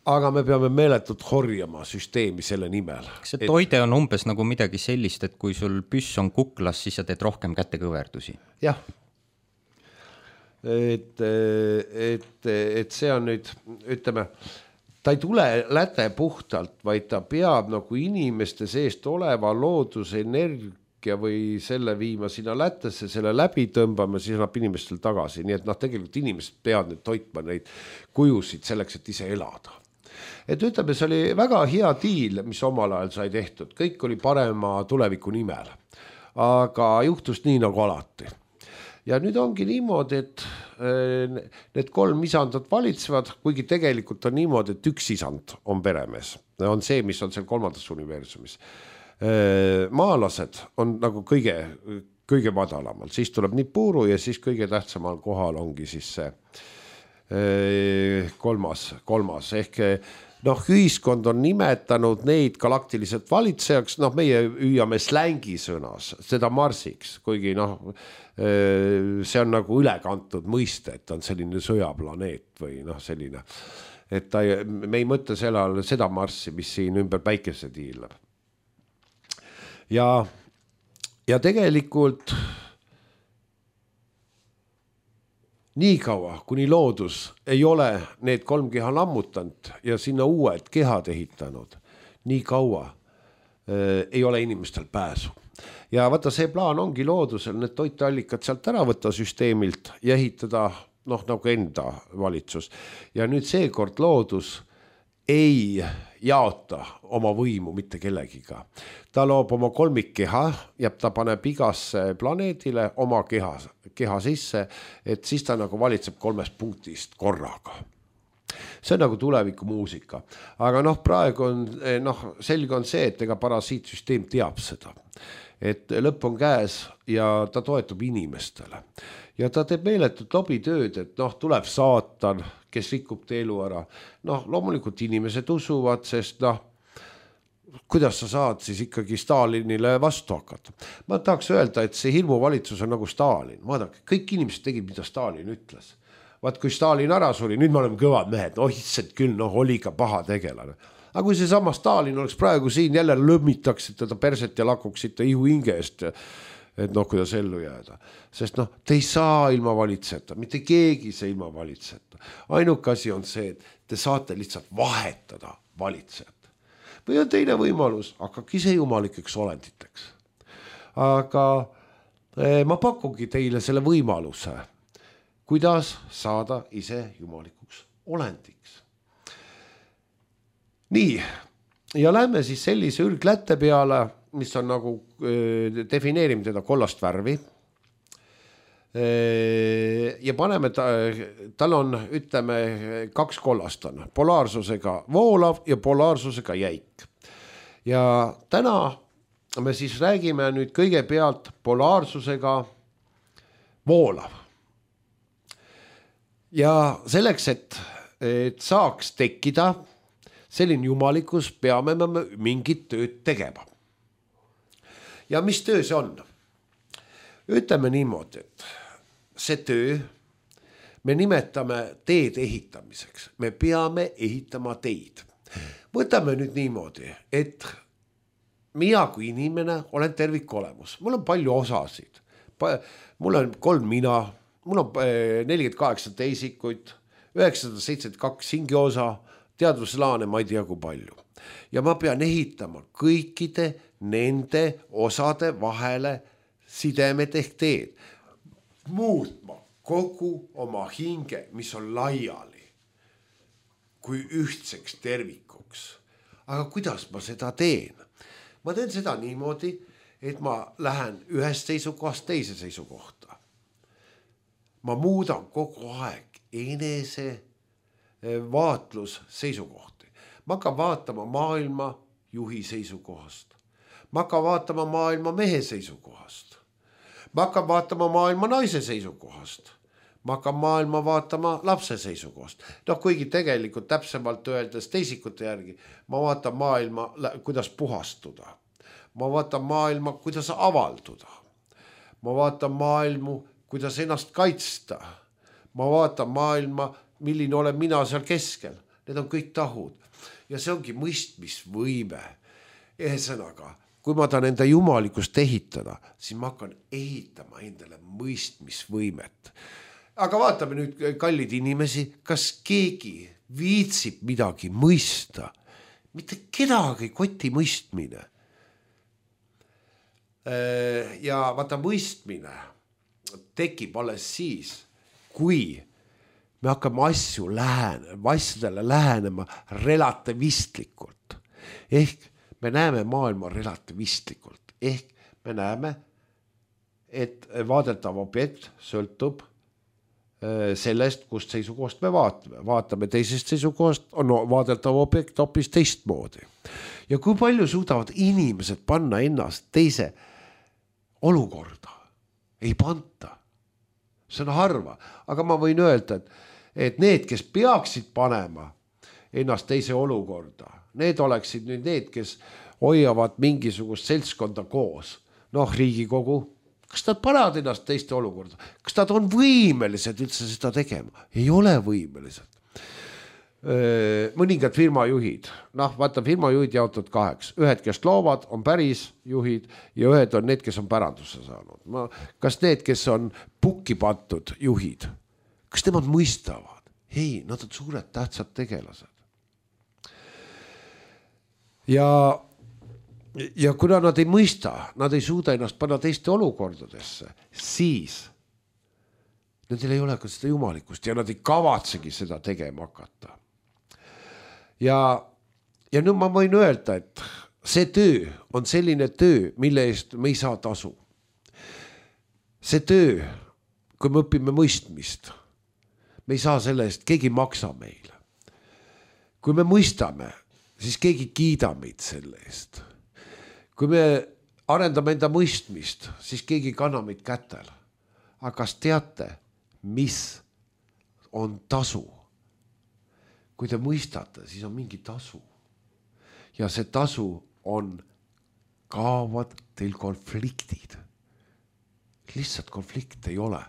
Aga me peame meeletult horjama süsteemi selle nimel. See toide on umbes nagu midagi sellist, et kui sul püss on kuklas, siis sa teed rohkem kätekõverdusi. Jah. Et, et, et see on nüüd, ütleme, ta ei tule läte puhtalt, vaid ta peab nagu inimeste seest oleva loodusenergia või selle viima sinna lätesse, selle läbi tõmbama, siis annab inimestel tagasi. Nii et noh, tegelikult inimesed peavad nüüd toitma neid kujusid selleks, et ise elada. Et ütleme, see oli väga hea diil, mis omal ajal sai tehtud. Kõik oli parema tuleviku nimel. Aga juhtus nii nagu alati. Ja nüüd ongi niimoodi, et need kolm isandat valitsevad, kuigi tegelikult on niimoodi, et üks isand on peremees. On see, mis on seal kolmandas universumis. Maalased on nagu kõige, kõige madalamal. Siis tuleb Nipuru ja siis kõige tähtsamal kohal ongi siis see kolmas, kolmas. Ehk noh, ühiskond on nimetanud neid galaktiliselt valitsejaks, noh, meie hüüame slängi sõnas, seda Marsiks, kuigi noh, see on nagu ülekantud mõiste, et on selline sõjaplaneet või noh, selline, et ta, me ei mõtle sellal seda Marssi, mis siin ümber päikese tiilab. Ja, ja tegelikult nii kaua, kuni loodus ei ole need kolm keha lammutanud ja sinna uued kehad ehitanud, nii kaua äh, ei ole inimestel pääsu. Ja vaata, see plaan ongi loodusel need toiteallikad sealt ära võtta süsteemilt ja ehitada noh, nagu enda valitsus. Ja nüüd seekord loodus ei jaota oma võimu mitte kellegiga. Ta loob oma kolmikkeha ja ta paneb igasse planeedile oma keha, keha sisse, et siis ta nagu valitseb kolmest punktist korraga. See on nagu tuleviku muusika. Aga noh, praegu on, noh, selge on see, et ega parasiitsüsteem teab seda. Et lõpp on käes ja ta toetub inimestele. Ja ta teeb meeletut lobitööd, et noh, tuleb saatan, kes rikub te elu ära. Noh, loomulikult inimesed usuvad, sest noh, kuidas sa saad siis ikkagi Stalinile vastu hakata. Ma tahaks öelda, et see hirmuvalitsus on nagu Stalin. Vaadake, kõik inimesed tegid, mida Stalin ütles. Vaat kui Stalin ära suri, nüüd me oleme kõvad mehed, oh issand küll, noh, oli ka paha tegelane. Aga kui see sama Stalin oleks praegu siin, jälle lõmmitaksid teda perset ja lakuksid ta ihu hinge eest, et noh, kuidas ellu jääda. Sest noh, te ei saa ilma valitseta, mitte keegi see ilma valitseta. Ainuke asi on see, et te saate lihtsalt vahetada valitsejat. Või on teine võimalus, hakkagi see jumalikeks olenditeks. Aga eh, ma pakugi teile selle võimaluse, kuidas saada ise jumalikuks olendiks. Nii, ja lähme siis sellise ürglätte peale, mis on nagu, defineerime teda kollast värvi ja paneme, ta, tal on, ütleme, kaks kollast on, polaarsusega voolav ja polaarsusega jäik. Ja täna me siis räägime nüüd kõigepealt polaarsusega voolav. Ja selleks, et, et saaks tekkida selline jumalikus, peame me mingit tööd tegema. Ja mis töö see on? Ütleme niimoodi, et see töö me nimetame teed ehitamiseks. Me peame ehitama teid. Võtame nüüd niimoodi, et mina kui inimene olen tervikolemus. Mul on palju osasid. Mul on kolm mina, mul on nelikümmend kaheksa teisikuid, üheksasada seitsekümmend kaks hingiosa, teadvuslaane ma ei tea kui palju. Ja ma pean ehitama kõikide nende osade vahele sidemed ehk teed. Muutma kogu oma hinge, mis on laiali, kui ühtseks tervikuks. Aga kuidas ma seda teen? Ma teen seda niimoodi, et ma lähen ühest seisukohast teise seisukohta. Ma muudan kogu aeg enese vaatlus seisukohti. Ma hakkan vaatama maailma juhi seisukohast. Ma hakkan vaatama maailma mehe seisukohast. Ma hakkan vaatama maailma naise seisukohast. Ma hakkan maailma vaatama lapse seisukohast. Noh, kuigi tegelikult täpsemalt öeldes teisikute järgi, ma vaatan maailma, kuidas puhastuda. Ma vaatan maailma, kuidas avalduda. Ma vaatan maailmu, kuidas ennast kaitsta. Ma vaatan maailma, milline olen mina seal keskel. Need on kõik tahud. Ja see ongi mõistmisvõime. Ehesõnaga, kui ma tahan enda jumalikust ehitada, siis ma hakkan ehitama endale mõistmisvõimet. Aga vaatame nüüd, kallid inimesi, kas keegi viitsib midagi mõista? Mitte kedagi koti mõistmine. Ja vaata, mõistmine tekib alles siis, kui me hakkame asju lähenema, asjadele lähenema relativistlikult. Ehk me näeme maailma relativistlikult. Ehk me näeme, et vaadeltav objekt sõltub sellest, kust seisukohast me vaatame. Vaatame teisest seisukohast, on vaadeltav objekt hoopis teistmoodi. Ja kui palju suudavad inimesed panna ennast teise olukorda? Ei panta. See on harva. Aga ma võin öelda, et et need, kes peaksid panema ennast teise olukorda, need oleksid nüüd need, kes hoiavad mingisugust seltskonda koos. Noh, Riigikogu, kas nad panevad ennast teiste olukorda? Kas nad on võimelised üldse seda tegema? Ei ole võimelised. Mõningad firmajuhid, noh, vaata, firmajuhid jaotud kaheks. Ühed, kes loovad, on päris juhid ja ühed on need, kes on pärandusse saanud. Ma, kas need, kes on pukki pantud juhid? Kas kas nemad mõistavad? Ei, nad on suured tähtsad tegelased. Ja, ja kuna nad ei mõista, nad ei suuda ennast panna teiste olukordadesse, siis nendel ei ole ka seda jumalikkust ja nad ei kavatsegi seda tegema hakata. Ja, ja nüüd ma võin öelda, et see töö on selline töö, mille eest me ei saa tasu. See töö, kui me õpime mõistmist, me ei saa selle eest, keegi maksa meile. Kui me mõistame, siis keegi kiida meid selle eest. Kui me arendame enda mõistmist, siis keegi kanna meid kätel. Aga kas teate, mis on tasu? Kui te mõistate, siis on mingi tasu. Ja see tasu on, kaovad teil konfliktid. Lihtsalt konflikt ei ole.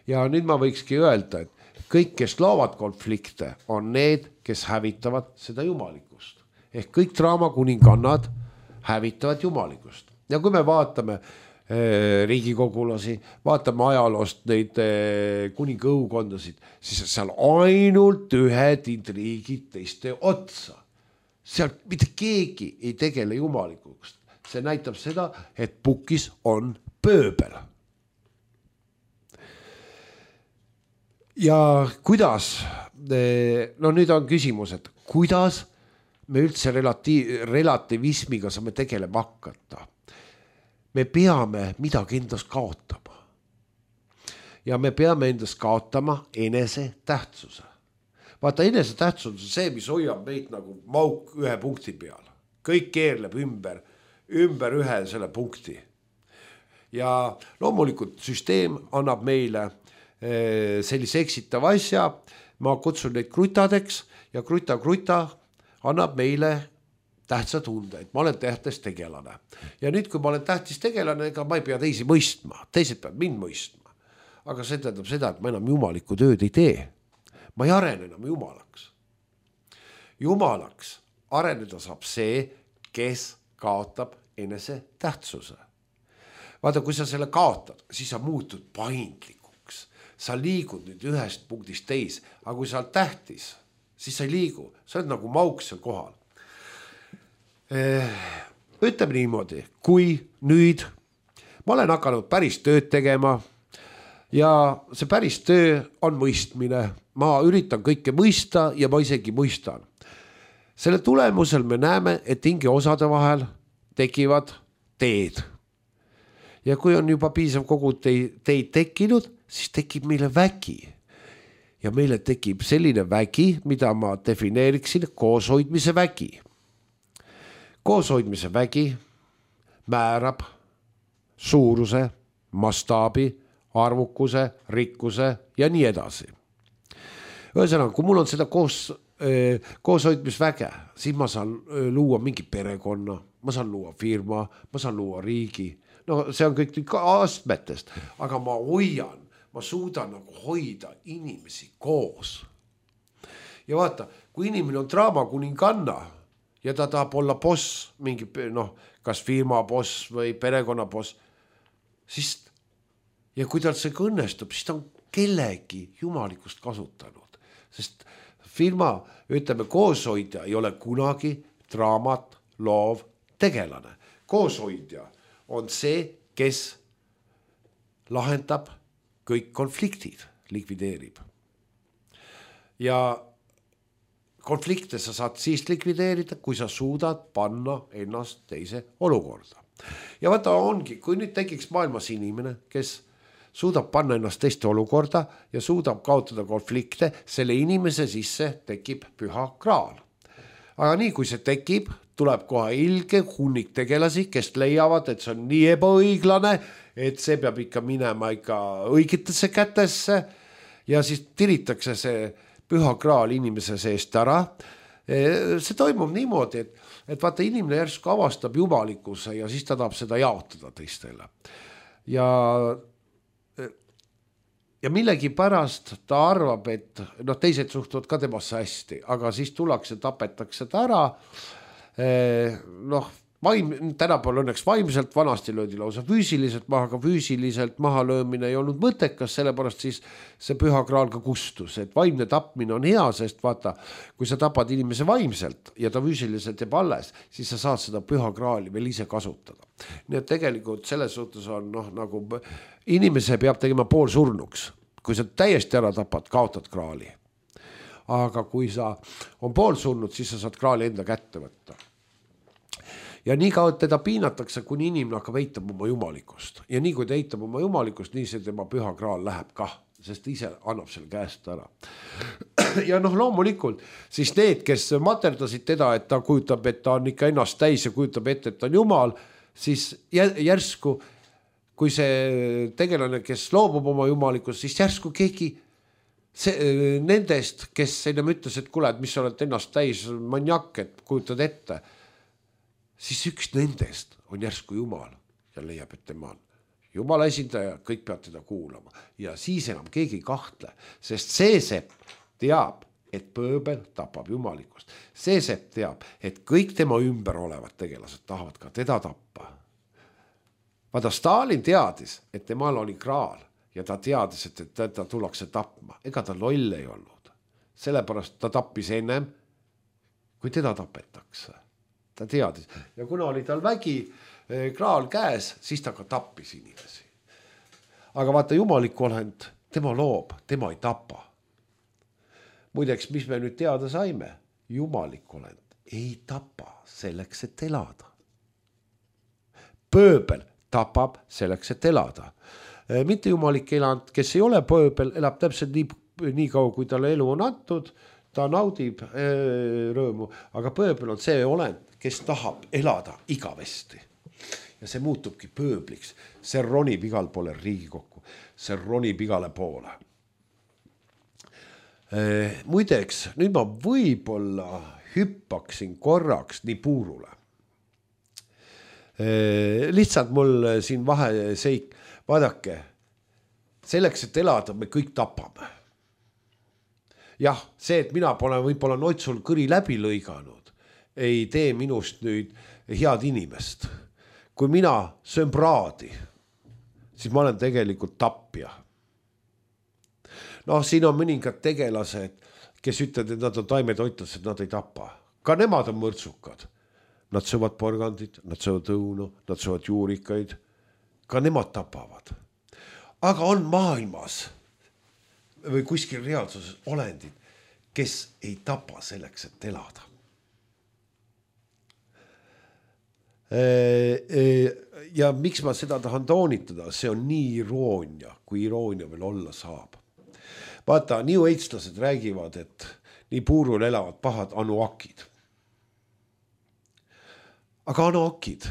Ja nüüd ma võikski öelda, et kõik, kes loovad konflikte, on need, kes hävitavad seda jumalikkust. Ehk kõik draamakuningannad hävitavad jumalikkust. Ja kui me vaatame riigikogulasi, vaatame ajaloost neid kuningõukondasid, siis seal ainult ühed intriigid teiste otsa. Seal mitte keegi ei tegele jumalikust. See näitab seda, et pukis on pööbel. Ja kuidas, no nüüd on küsimus, et kuidas me üldse relatiiv, relativismiga saame tegelema hakata. Me peame midagi endast kaotama. Ja me peame endast kaotama enese tähtsuse. Vaata, enese tähtsus on see, mis hoiab meid nagu mauk ühe punkti peal. Kõik keerleb ümber, ümber ühe selle punkti. Ja loomulikult süsteem annab meile sellise eksitava asja. Ma kutsun neid krutadeks ja kruta-kruta annab meile tähtsa tunde, et ma olen tähtis tegelane. Ja nüüd, kui ma olen tähtis tegelane, ega ma ei pea teisi mõistma. Teised peavad mind mõistma. Aga see tähendab seda, et ma enam jumalikku tööd ei tee. Ma ei arene enam jumalaks. Jumalaks areneda saab see, kes kaotab enese tähtsuse. Vaata, kui sa selle kaotad, siis sa muutud paindlikuks. Sa liigud nüüd ühest punktist teis, aga kui sa oled tähtis, siis sa ei liigu. Sa oled nagu mauk seal kohal. Ütleme niimoodi, kui nüüd ma olen hakanud päris tööd tegema ja see päris töö on mõistmine. Ma üritan kõike mõista ja ma isegi mõistan. Selle tulemusel me näeme, et hinge osade vahel tekivad teed. Ja kui on juba piisav kogu teid tekkinud, siis tekib meile vägi. Ja meile tekib selline vägi, mida ma defineeriksin kooshoidmise vägi. Kooshoidmise vägi määrab suuruse, mastaabi, arvukuse, rikkuse ja nii edasi. Ühesõnaga, kui mul on seda koos, eh, kooshoidmisväge, siis ma saan luua mingi perekonna, ma saan luua firma, ma saan luua riigi. No see on kõik astmetest, aga ma hoian, ma suudan nagu hoida inimesi koos. Ja vaata, kui inimene on draamakuninganna, ja ta tahab olla boss, mingi, noh, kas firma boss või perekonna boss, siis, ja kui tal see õnnestub, siis ta on kellegi jumalikust kasutanud. Sest firma, ütleme, kooshoidja ei ole kunagi draamat loov tegelane. Kooshoidja on see, kes lahendab kõik konfliktid, likvideerib. Ja konflikte sa saad siis likvideerida, kui sa suudad panna ennast teise olukorda. Ja vaata ongi, kui nüüd tekiks maailmas inimene, kes suudab panna ennast teiste olukorda ja suudab kaotada konflikte, selle inimese sisse tekib püha kraal. Aga nii, kui see tekib, tuleb kohe ilge hunnik tegelasi, kes leiavad, et see on nii ebaõiglane, et see peab ikka minema ikka õigetesse kätesse ja siis tiritakse see püha kraal inimese seest ära. See toimub niimoodi, et, et vaata inimene järsku avastab jumalikkuse ja siis ta tahab seda jaotada teistele. Ja, ja millegi pärast ta arvab, et noh, teised suhtuvad ka temasse hästi, aga siis tullakse, tapetakse ta ära. Noh, vaim, tänapäeval õnneks vaimselt, vanasti löödi lausa füüsiliselt maha, aga füüsiliselt maha löömine ei olnud mõttekas, sellepärast siis see püha kraal ka kustus, et vaimne tapmine on hea, sest vaata, kui sa tapad inimese vaimselt ja ta füüsiliselt jääb alles, siis sa saad seda püha kraali veel ise kasutada. Nii et tegelikult selles suhtes on noh, nagu inimese peab tegema pool surnuks, kui sa täiesti ära tapad, kaotad kraali. Aga kui sa on pool surnud, siis sa saad kraali enda kätte võtta. Ja nii kaua teda piinatakse, kuni inimene hakkab eitab oma jumalikust. Ja nii kui ta eitab oma jumalikust, nii see tema püha kraal läheb kah, sest ta ise annab selle käest ära. Ja noh, loomulikult, siis need, kes materdasid teda, et ta kujutab, et ta on ikka ennast täis ja kujutab ette, et ta on jumal, siis järsku, kui see tegelane, kes loobub oma jumalikust, siis järsku keegi see, nendest, kes ennem ütles, et kuule, et mis sa oled ennast täis maniak, et kujutad ette, siis üks nendest on järsku jumal ja leiab, et tema on jumala esindaja, kõik peab teda kuulama ja siis enam keegi kahtle, sest see sepp teab, et pööbel tapab jumalikust. See sepp teab, et kõik tema ümber olevad tegelased tahavad ka teda tappa. Vaata, Stalin teadis, et temal oli kraal ja ta teadis, et teda tullakse tapma. Ega ta loll ei olnud. Sellepärast ta tappis ennem, kui teda tapetakse. Ta teadis. Ja kuna oli tal vägi kraal käes, siis ta ka tappis inimesi. Aga vaata, jumalik olend, tema loob, tema ei tapa. Muideks, mis me nüüd teada saime? Jumalik olend ei tapa selleks, et elada. Pööbel tapab selleks, et elada. Mitte jumalik eland, kes ei ole pööbel, elab täpselt nii, nii kaua, kui talle elu on antud, ta naudib ee, rõõmu, aga pööbel on see olend, kes tahab elada igavesti. Ja see muutubki pööbliks. See ronib igal poole Riigikokku, see ronib igale poole. E, muideks, nüüd ma võib-olla hüppaksin korraks nii puurule. E, lihtsalt mul siin vahe seik, vaadake, selleks, et elada, me kõik tapame. Jah, see, et mina pole võib-olla noitsul kõri läbi lõiganud, ei tee minust nüüd head inimest. Kui mina söön praadi, siis ma olen tegelikult tappja. Noh, siin on mõningad tegelased, kes ütlevad, et nad on taimetoitlased, nad ei tapa. Ka nemad on mõrtsukad. Nad söövad porgandit, nad söövad õunu, nad söövad juurikaid. Ka nemad tapavad. Aga on maailmas või kuskil reaalsuses olendid, kes ei tapa selleks, et elada. Ja miks ma seda tahan toonitada, see on nii iroonia, kui iroonia veel olla saab. Vaata, nii õitslased räägivad, et nii puurul elavad pahad anuakid. Aga anuakid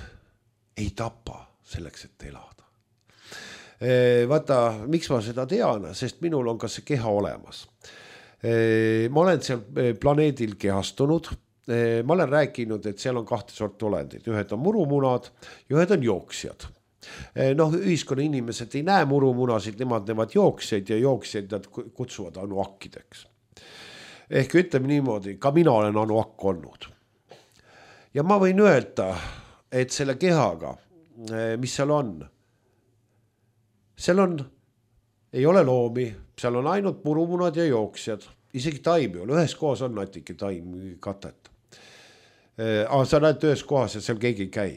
ei tapa selleks, et elada. Vaata, miks ma seda tean, sest minul on ka see keha olemas. Ma olen seal planeedil kehastunud. Ma olen rääkinud, et seal on kahte sorti olendid. Ühed on murumuunad ja ühed on jooksjad. Noh, ühiskonna inimesed ei näe murumuunasid, nemad näevad jooksjaid ja jooksjaid nad kutsuvad anuakkideks. Ehk ütleme niimoodi, ka mina olen anuakk olnud. Ja ma võin öelda, et selle kehaga, mis seal on, seal on, ei ole loomi, seal on ainult murumuunad ja jooksjad. Isegi taimi on, ühes kohas on natuke taimi katet. Aga sa näed ühes kohas ja seal keegi ei käi.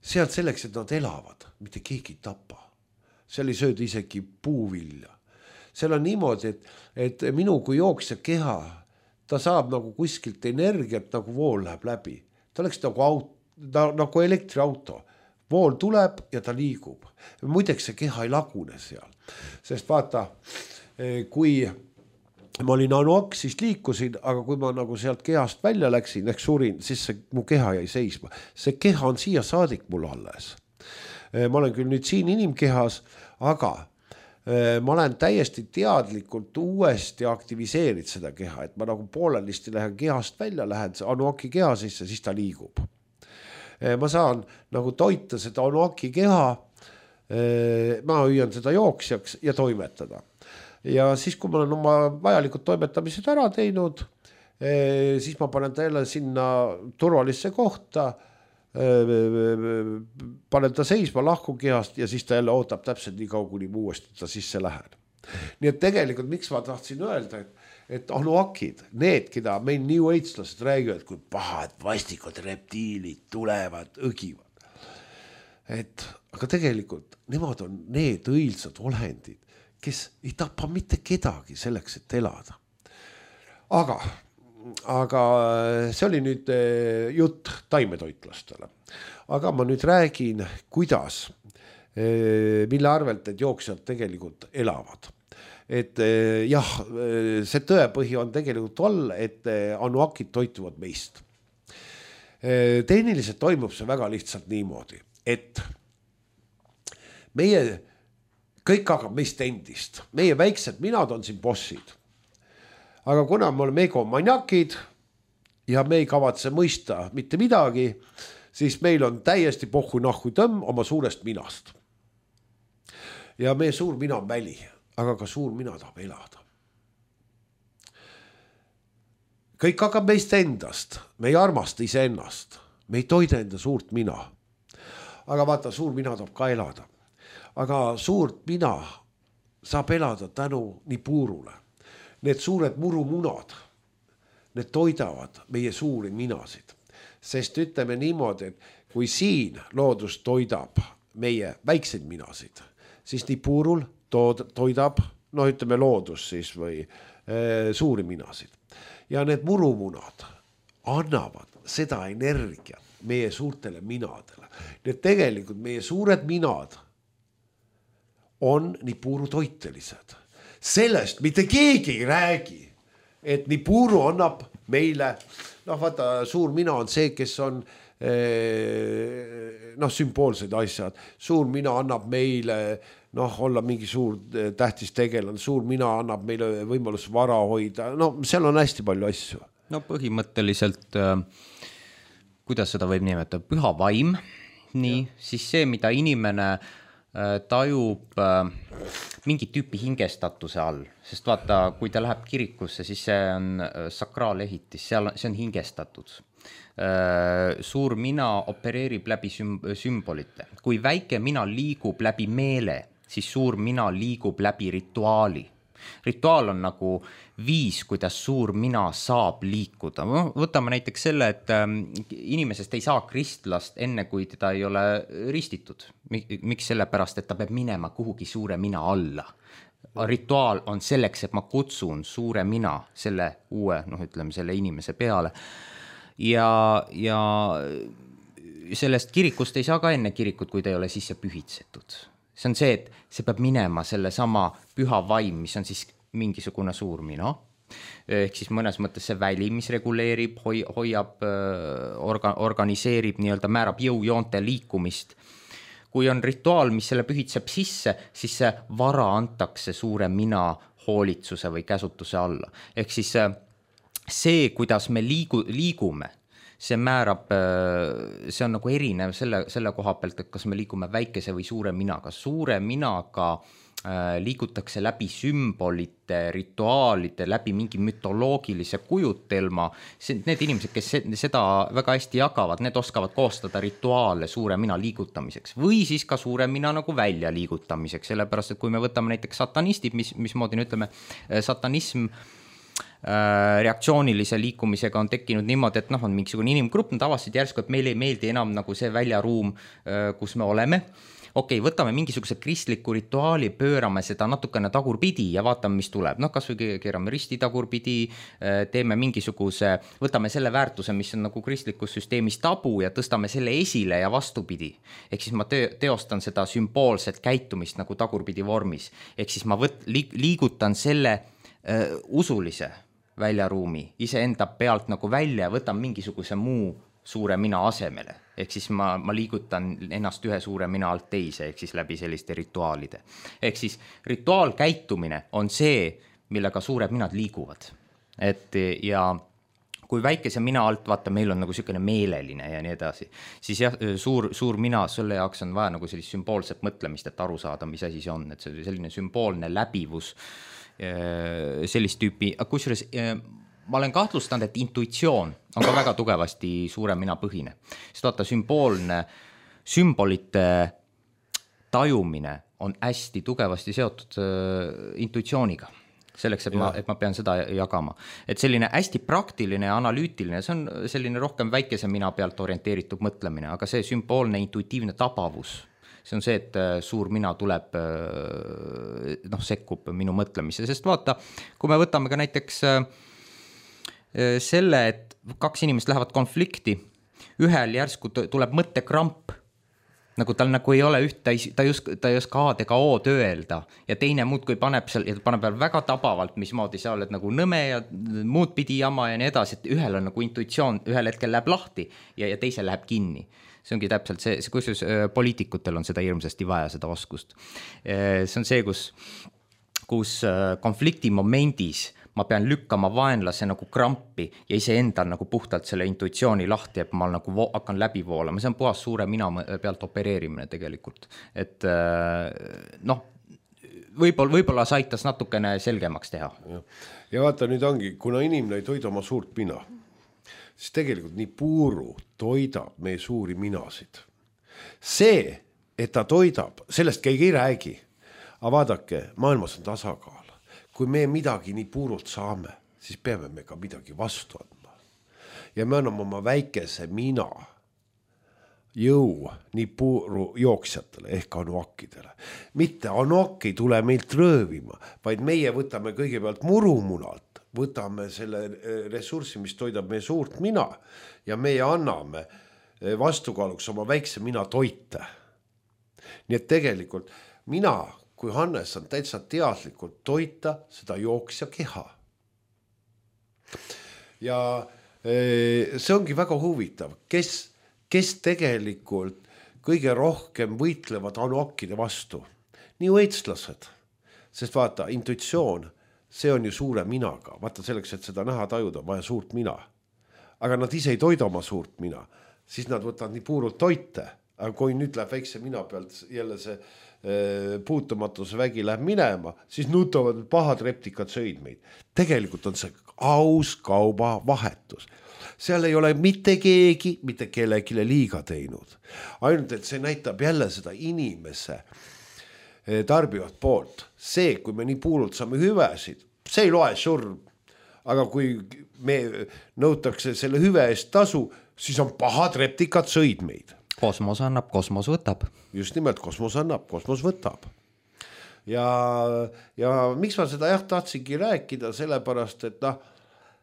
Seal selleks, et nad elavad, mitte keegi ei tapa. Seal ei sööda isegi puuvilja. Seal on niimoodi, et, et minu kui jooksja keha, ta saab nagu kuskilt energiat, nagu vool läheb läbi. Ta oleks nagu, aut, ta, nagu elektriauto. Vool tuleb ja ta liigub. Muideks see keha ei lagune seal. Sest vaata, kui ma olin anuak, siis liikusin, aga kui ma nagu sealt kehast välja läksin, ehk surin, siis see, mu keha jäi seisma. See keha on siia saadik mul alles. Ma olen küll nüüd siin inimkehas, aga ma olen täiesti teadlikult uuesti aktiviseerinud seda keha, et ma nagu poolelisti lähen kehast välja, lähen anuaki keha sisse, siis ta liigub. Ma saan nagu toita seda anuaki keha, ma hüüan seda jooksjaks ja toimetada. Ja siis, kui ma olen oma vajalikud toimetamised ära teinud, siis ma panen ta jälle sinna turvalisse kohta, panen ta seisma lahku kehast ja siis ta jälle ootab täpselt nii kaua, kuni uuesti ta sisse lähen. Nii et tegelikult miks ma tahtsin öelda, et, et anuakid, need, keda meil New Age-lased räägivad, kui pahad vastikud reptiilid tulevad, õgivad. Et, aga tegelikult nemad on need õilsad olendid, kes ei tapa mitte kedagi selleks, et elada. Aga, aga see oli nüüd jutt taimetoitlastele. Aga ma nüüd räägin, kuidas, mille arvelt need jooksjad tegelikult elavad. Et jah, see tõepõhi on tegelikult all, et anuakid toituvad meist. Tehniliselt toimub see väga lihtsalt niimoodi, et meie kõik hakkab meist endist. Meie väiksed minad on siin bossid. Aga kuna me oleme egomaniakid ja me ei kavatse mõista mitte midagi, siis meil on täiesti pohhu nahku tõmm oma suurest minast. Ja meie suur mina on väli, aga ka suur mina tahab elada. Kõik hakkab meist endast, me ei armasta ise ennast, me ei toida enda suurt mina. Aga vaata, suur mina tahab ka elada. Aga suurt mina saab elada tänu nii puurule. Need suured murumunad, need toidavad meie suuri minasid. Sest ütleme niimoodi, et kui siin loodus toidab meie väikseid minasid, siis nii puurul toidab, no ütleme loodus siis või e, suuri minasid. Ja need murumunad annavad seda energiat meie suurtele minadele. Need tegelikult meie suured minad on nii puuru toitelised. Sellest mitte keegi ei räägi, et nii puuru annab meile, noh vaata, suur mina on see, kes on noh, sümboolsed asjad. Suur mina annab meile, noh, olla mingi suur tähtis tegelane, suur mina annab meile võimalus vara hoida, no seal on hästi palju asju. No põhimõtteliselt, kuidas seda võib nimetada, püha vaim, nii, ja. Siis see, mida inimene tajub mingi tüüpi hingestatuse all, sest vaata, kui ta läheb kirikusse, siis see on sakraalehitis, seal see on hingestatud. Suur mina opereerib läbi sümbolite. Kui väike mina liigub läbi meele, siis suur mina liigub läbi rituaali. Rituaal on nagu viis, kuidas suur mina saab liikuda. Võtame näiteks selle, et inimesest ei saa kristlast enne, kui teda ei ole ristitud. Miks sellepärast, et ta peab minema kuhugi suure mina alla. Rituaal on selleks, et ma kutsun suure mina selle uue, noh ütleme, selle inimese peale. Ja, ja sellest kirikust ei saa ka enne kirikut, kui ta ei ole sisse pühitsetud. See on see, et see peab minema selle sama püha vaim, mis on siis mingisugune suur mina. Ehk siis mõnes mõttes see väli, mis reguleerib, hoi, hoiab, orga, organiseerib, nii-öelda määrab jõujoonte liikumist. Kui on rituaal, mis selle pühitseb sisse, siis see vara antakse suure mina hoolitsuse või käsutuse alla. Ehk siis see, kuidas me liigu, liigume, see määrab, see on nagu erinev selle, selle koha pealt, et kas me liigume väikese või suure minaga. Suure minaga liigutakse läbi sümbolite, rituaalide, läbi mingi mütoloogilise kujutelma. Need inimesed, kes seda väga hästi jagavad, need oskavad koostada rituaale suure mina liigutamiseks või siis ka suure mina nagu välja liigutamiseks. Sellepärast, et kui me võtame näiteks satanistid, mis, mismoodi ütleme, satanism reaktsioonilise liikumisega on tekkinud niimoodi, et noh, on mingisugune inimgrupp, nad avasid järsku, et meil ei meeldi enam nagu see väljaruum, kus me oleme. Okei, võtame mingisuguse kristliku rituaali, pöörame seda natukene tagurpidi ja vaatame, mis tuleb. Noh, kas või keerame risti tagurpidi, teeme mingisuguse, võtame selle väärtuse, mis on nagu kristlikus süsteemis tabu ja tõstame selle esile ja vastupidi. Ehk siis ma teostan seda sümboolset käitumist nagu tagurpidi vormis. Ehk siis ma võt, liigutan selle uh, usulise väljaruumi iseenda pealt nagu välja ja võtan mingisuguse muu suure mina asemele. Ehk siis ma, ma liigutan ennast ühe suure mina alt teise, ehk siis läbi selliste rituaalide. Ehk siis rituaalkäitumine on see, millega suured minad liiguvad. Et ja kui väikese mina alt, vaata, meil on nagu selline meeleline ja nii edasi, siis jah, suur, suur mina, selle jaoks on vaja nagu sellist sümboolset mõtlemist, et aru saada, mis asi see on, et see selline sümboolne läbivus, sellist tüüpi, kusjuures ma olen kahtlustanud, et intuitsioon on ka väga tugevasti suure mina põhine. Sest vaata, sümboolne, sümbolite tajumine on hästi tugevasti seotud äh, intuitsiooniga. Selleks, et ma, et ma pean seda jagama. Et selline hästi praktiline ja analüütiline, see on selline rohkem väikese mina pealt orienteeritud mõtlemine, aga see sümboolne intuitiivne tabavus, see on see, et suur mina tuleb, noh, sekkub minu mõtlemise, sest vaata, kui me võtame ka näiteks selle, et kaks inimest lähevad konflikti, ühel järsku tuleb mõttekramp, nagu tal nagu ei ole üht, ta ei, ta ei oska, ta ei oska A-d ega O-d öelda ja teine muud, kui paneb seal, ja paneb veel väga tabavalt, mismoodi sa oled nagu nõme ja muud pidi jama ja nii edasi, et ühel on nagu intuitsioon, ühel hetkel läheb lahti ja, ja teisel läheb kinni. See ongi täpselt see, see kus poliitikutel on seda hirmsasti vaja, seda oskust. See on see, kus, kus konflikti momendis ma pean lükkama vaenlase nagu krampi ja iseendal nagu puhtalt selle intuitsiooni lahti, et ma nagu vo- hakkan läbi voolama. See on puhas suure mina pealt opereerimine tegelikult. Et noh, võib-olla, võib-olla sa aitas natukene selgemaks teha. Ja, ja vaata, nüüd ongi, kuna inimene ei toida oma suurt mina, siis tegelikult nii puuru toidab meie suuri minasid. See, et ta toidab, sellest keegi ei räägi. Aga vaadake, maailmas on tasakaal. Kui me midagi nii puurult saame, siis peame me ka midagi vastu andma. Ja me anname oma väikese mina jõu nii puuru jooksjatele ehk anuakkidele. Mitte anuakk ei tule meilt röövima, vaid meie võtame kõigepealt murumunalt, võtame selle ressurssi, mis toidab meie suurt mina ja meie anname vastukaaluks oma väikse mina toite. Nii et tegelikult mina kui Hannes on täitsa teadlikult toita seda jooksja keha. Ja see ongi väga huvitav, kes, kes tegelikult kõige rohkem võitlevad anuakkide vastu. Nii õitslased, sest vaata, intuitsioon, see on ju suure minaga. Vaata selleks, et seda näha tajuda, vaja suurt mina. Aga nad ise ei toida oma suurt mina, siis nad võtavad nii puurult toite. Aga kui nüüd läheb väikse mina pealt jälle see puutumatuse vägi läheb minema, siis nutavad pahad reptikad sõid meid. Tegelikult on see aus kauba vahetus. Seal ei ole mitte keegi, mitte kellegile liiga teinud. Ainult, et see näitab jälle seda inimese tarbivat poolt. See, kui me nii puurult saame hüvesid, see ei loe surm. Aga kui me nõutakse selle hüve eest tasu, siis on pahad reptikad sõid meid. Kosmos annab, kosmos võtab. Just nimelt, kosmos annab, kosmos võtab. Ja, ja miks ma seda jah tahtsingi rääkida, sellepärast, et noh,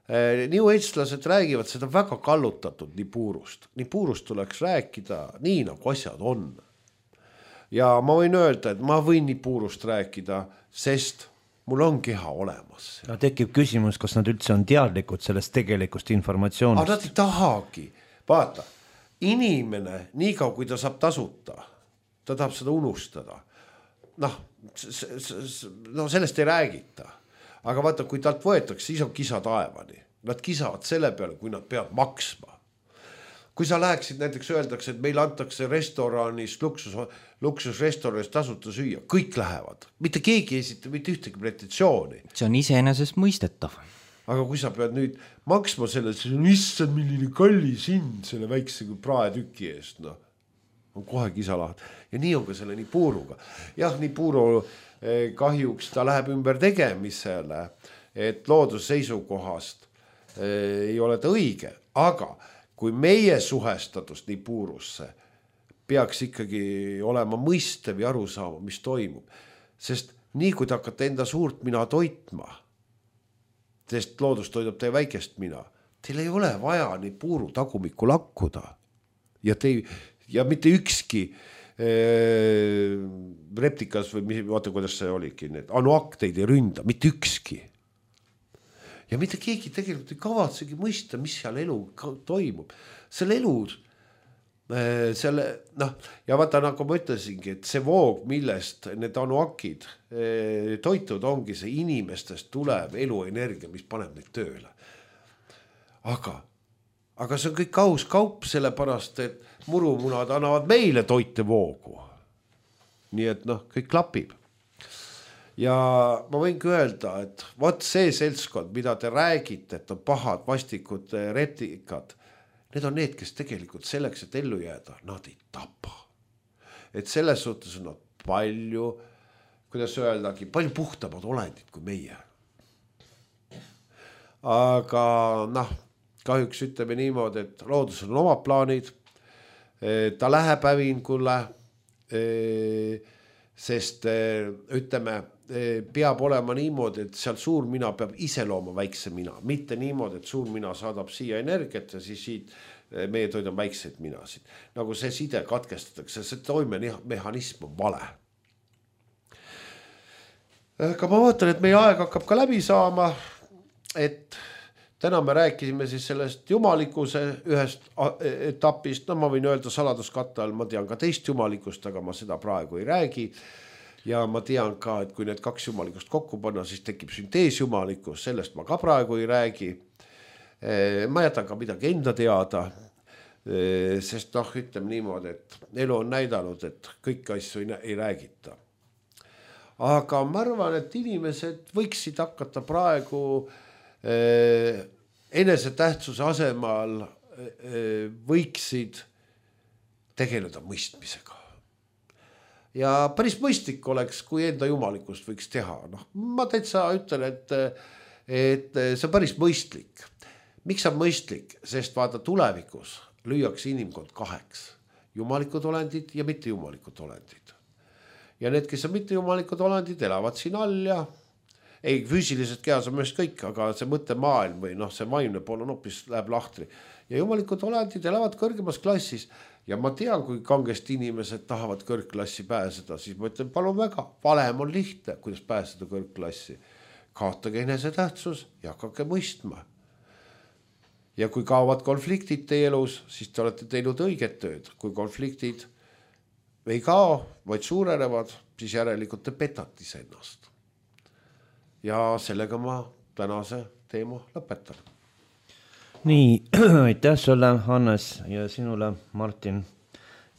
nii õitslased räägivad seda väga kallutatud nii puurust. Nii puurust tuleks rääkida nii, nagu asjad on. Ja ma võin öelda, et ma võin nii puurust rääkida, sest mul on keha olemas. No, tekib küsimus, kas nad üldse on teadlikud sellest tegelikust informatsioonist. Aga nad ei tahagi. Vaata. Inimene, nii kaua kui ta saab tasuta, ta tahab seda unustada. Noh, no sellest ei räägita. Aga vaata, kui talt võetakse, siis on kisa taevani. Nad kisavad selle peale, kui nad peavad maksma. Kui sa läheksid, näiteks öeldakse, et meil antakse restoranis, luksus, luksusrestoranis tasuta süüa, kõik lähevad. Mitte keegi ei esita mitte ühtegi pretentsiooni. See on iseenesest mõistetav. Aga kui sa pead nüüd maksma selle, siis on issand milline kallis hind selle väikse praetüki eest, noh, on kohe kisalaht. Ja nii on ka selle nii puuruga. Jah, nii puuru kahjuks ta läheb ümber tegemisele, et loodusseisukohast ei ole ta õige. Aga kui meie suhestatus nii puurusse peaks ikkagi olema mõistev ja aru saama, mis toimub. Sest nii kui te hakkate enda suurt mina toitma, sest loodus toidab teie väikest mina. Teil ei ole vaja nii puuru tagumikku lakkuda. Ja, te, ja mitte ükski äh, reptikas või vaata, kuidas see oligi, need anuak teid ei ründa, mitte ükski. Ja mitte keegi tegelikult ei kavatsegi mõista, mis seal elu toimub. Selle elu, äh, selle, noh, ja vaata, nagu ma ütlesingi, et see voog, millest need anuakid äh, toitud ongi see inimestest tulev eluenergia, mis paneb neid tööle. Aga, aga see on kõik aus kaup, sellepärast, et murumunad annavad meile toite voogu. Nii et noh, kõik klapib. ja ma võingi öelda, et vot see seltskond, mida te räägite, et on pahad, vastikud retikad, need on need, kes tegelikult selleks, et ellu jääda, nad ei tapa. Et selles suhtes on nad palju, kuidas öeldagi, palju puhtamad olendid kui meie. Aga noh, kahjuks ütleme niimoodi, et loodusel on omad plaanid, ta läheb hävingule, sest ütleme, peab olema niimoodi, et seal suur mina peab ise looma väikse mina, mitte niimoodi, et suur mina saadab siia energiat ja siis siit meie toidame väikseid minasid. Nagu see side katkestatakse, see toimemehhanism on vale. Aga ma vaatan, et meie aeg hakkab ka läbi saama, et täna me rääkisime siis sellest jumalikuse ühest etapist, no ma võin öelda saladuskatte all, ma tean ka teist jumalikust, aga ma seda praegu ei räägi. Ja ma tean ka, et kui need kaks jumalikust kokku panna, siis tekib sünteesjumalikus, sellest ma ka praegu ei räägi. Ma jätan ka midagi enda teada, sest noh, ütleme niimoodi, et elu on näidanud, et kõik asju ei, ei räägita. Aga ma arvan, et inimesed võiksid hakata praegu eh, enese tähtsuse asemal eh, võiksid tegeleda mõistmisega. Ja päris mõistlik oleks, kui enda jumalikust võiks teha. Noh, ma täitsa ütlen, et, et see on päris mõistlik. Miks on mõistlik? Sest vaata tulevikus lüüakse inimkond kaheks. Jumalikud olendid ja mitte jumalikud olendid. Ja need, kes on mitte jumalikud olendid, elavad siin all ja ei, füüsiliselt kehas on mõist kõik, aga see mõttemaailm või noh, see vaimne pool on hoopis läheb lahtri. Ja jumalikud olendid elavad kõrgemas klassis. Ja ma tean, kui kangesti inimesed tahavad kõrgklassi pääseda, siis ma ütlen, palun väga, valem on lihtne, kuidas pääseda kõrgklassi. Kaotage enese tähtsus ja hakake mõistma. Ja kui kaovad konfliktid teie elus, siis te olete teinud õiget tööd. Kui konfliktid ei kao, vaid suurenevad, siis järelikult te petate ennast. Ja sellega ma tänase teema lõpetan. Nii, aitäh sulle, Hannes, ja sinule, Martin.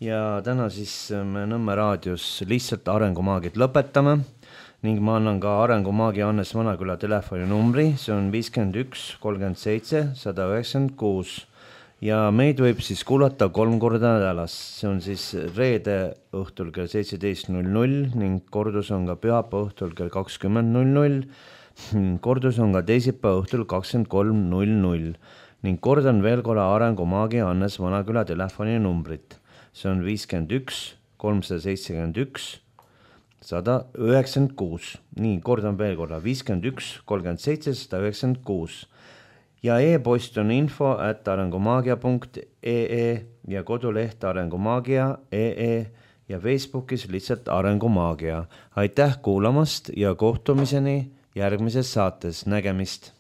Ja täna siis me Nõmme raadios lihtsalt arengumaagid lõpetame ning ma annan ka arengumaagi Hannes Vanaküla telefoni numbri, see on viiskümmend üks kolmkümmend seitse sada üheksakümmend kuus ja meid võib siis kuulata kolm korda nädalas, see on siis reede õhtul kell seitseteist null null ning kordus on ka pühapäeva õhtul kell kakskümmend null null, kordus on ka teisipäeva õhtul kakskümmend kolm null null ning kordan veel korra arengumaagi Hannes Vanaküla telefoni numbrit, see on viiskümmend üks kolmsada seitsekümmend üks sada üheksakümmend kuus. Nii, kordan veel korra, viiskümmend üks kolmkümmend seitse sada üheksakümmend kuus. Ja e-post on info at arengumaagia punkt ee ja koduleht arengumaagia punkt ee ja Facebookis lihtsalt arengumaagia. Aitäh kuulamast ja kohtumiseni järgmises saates. Nägemist!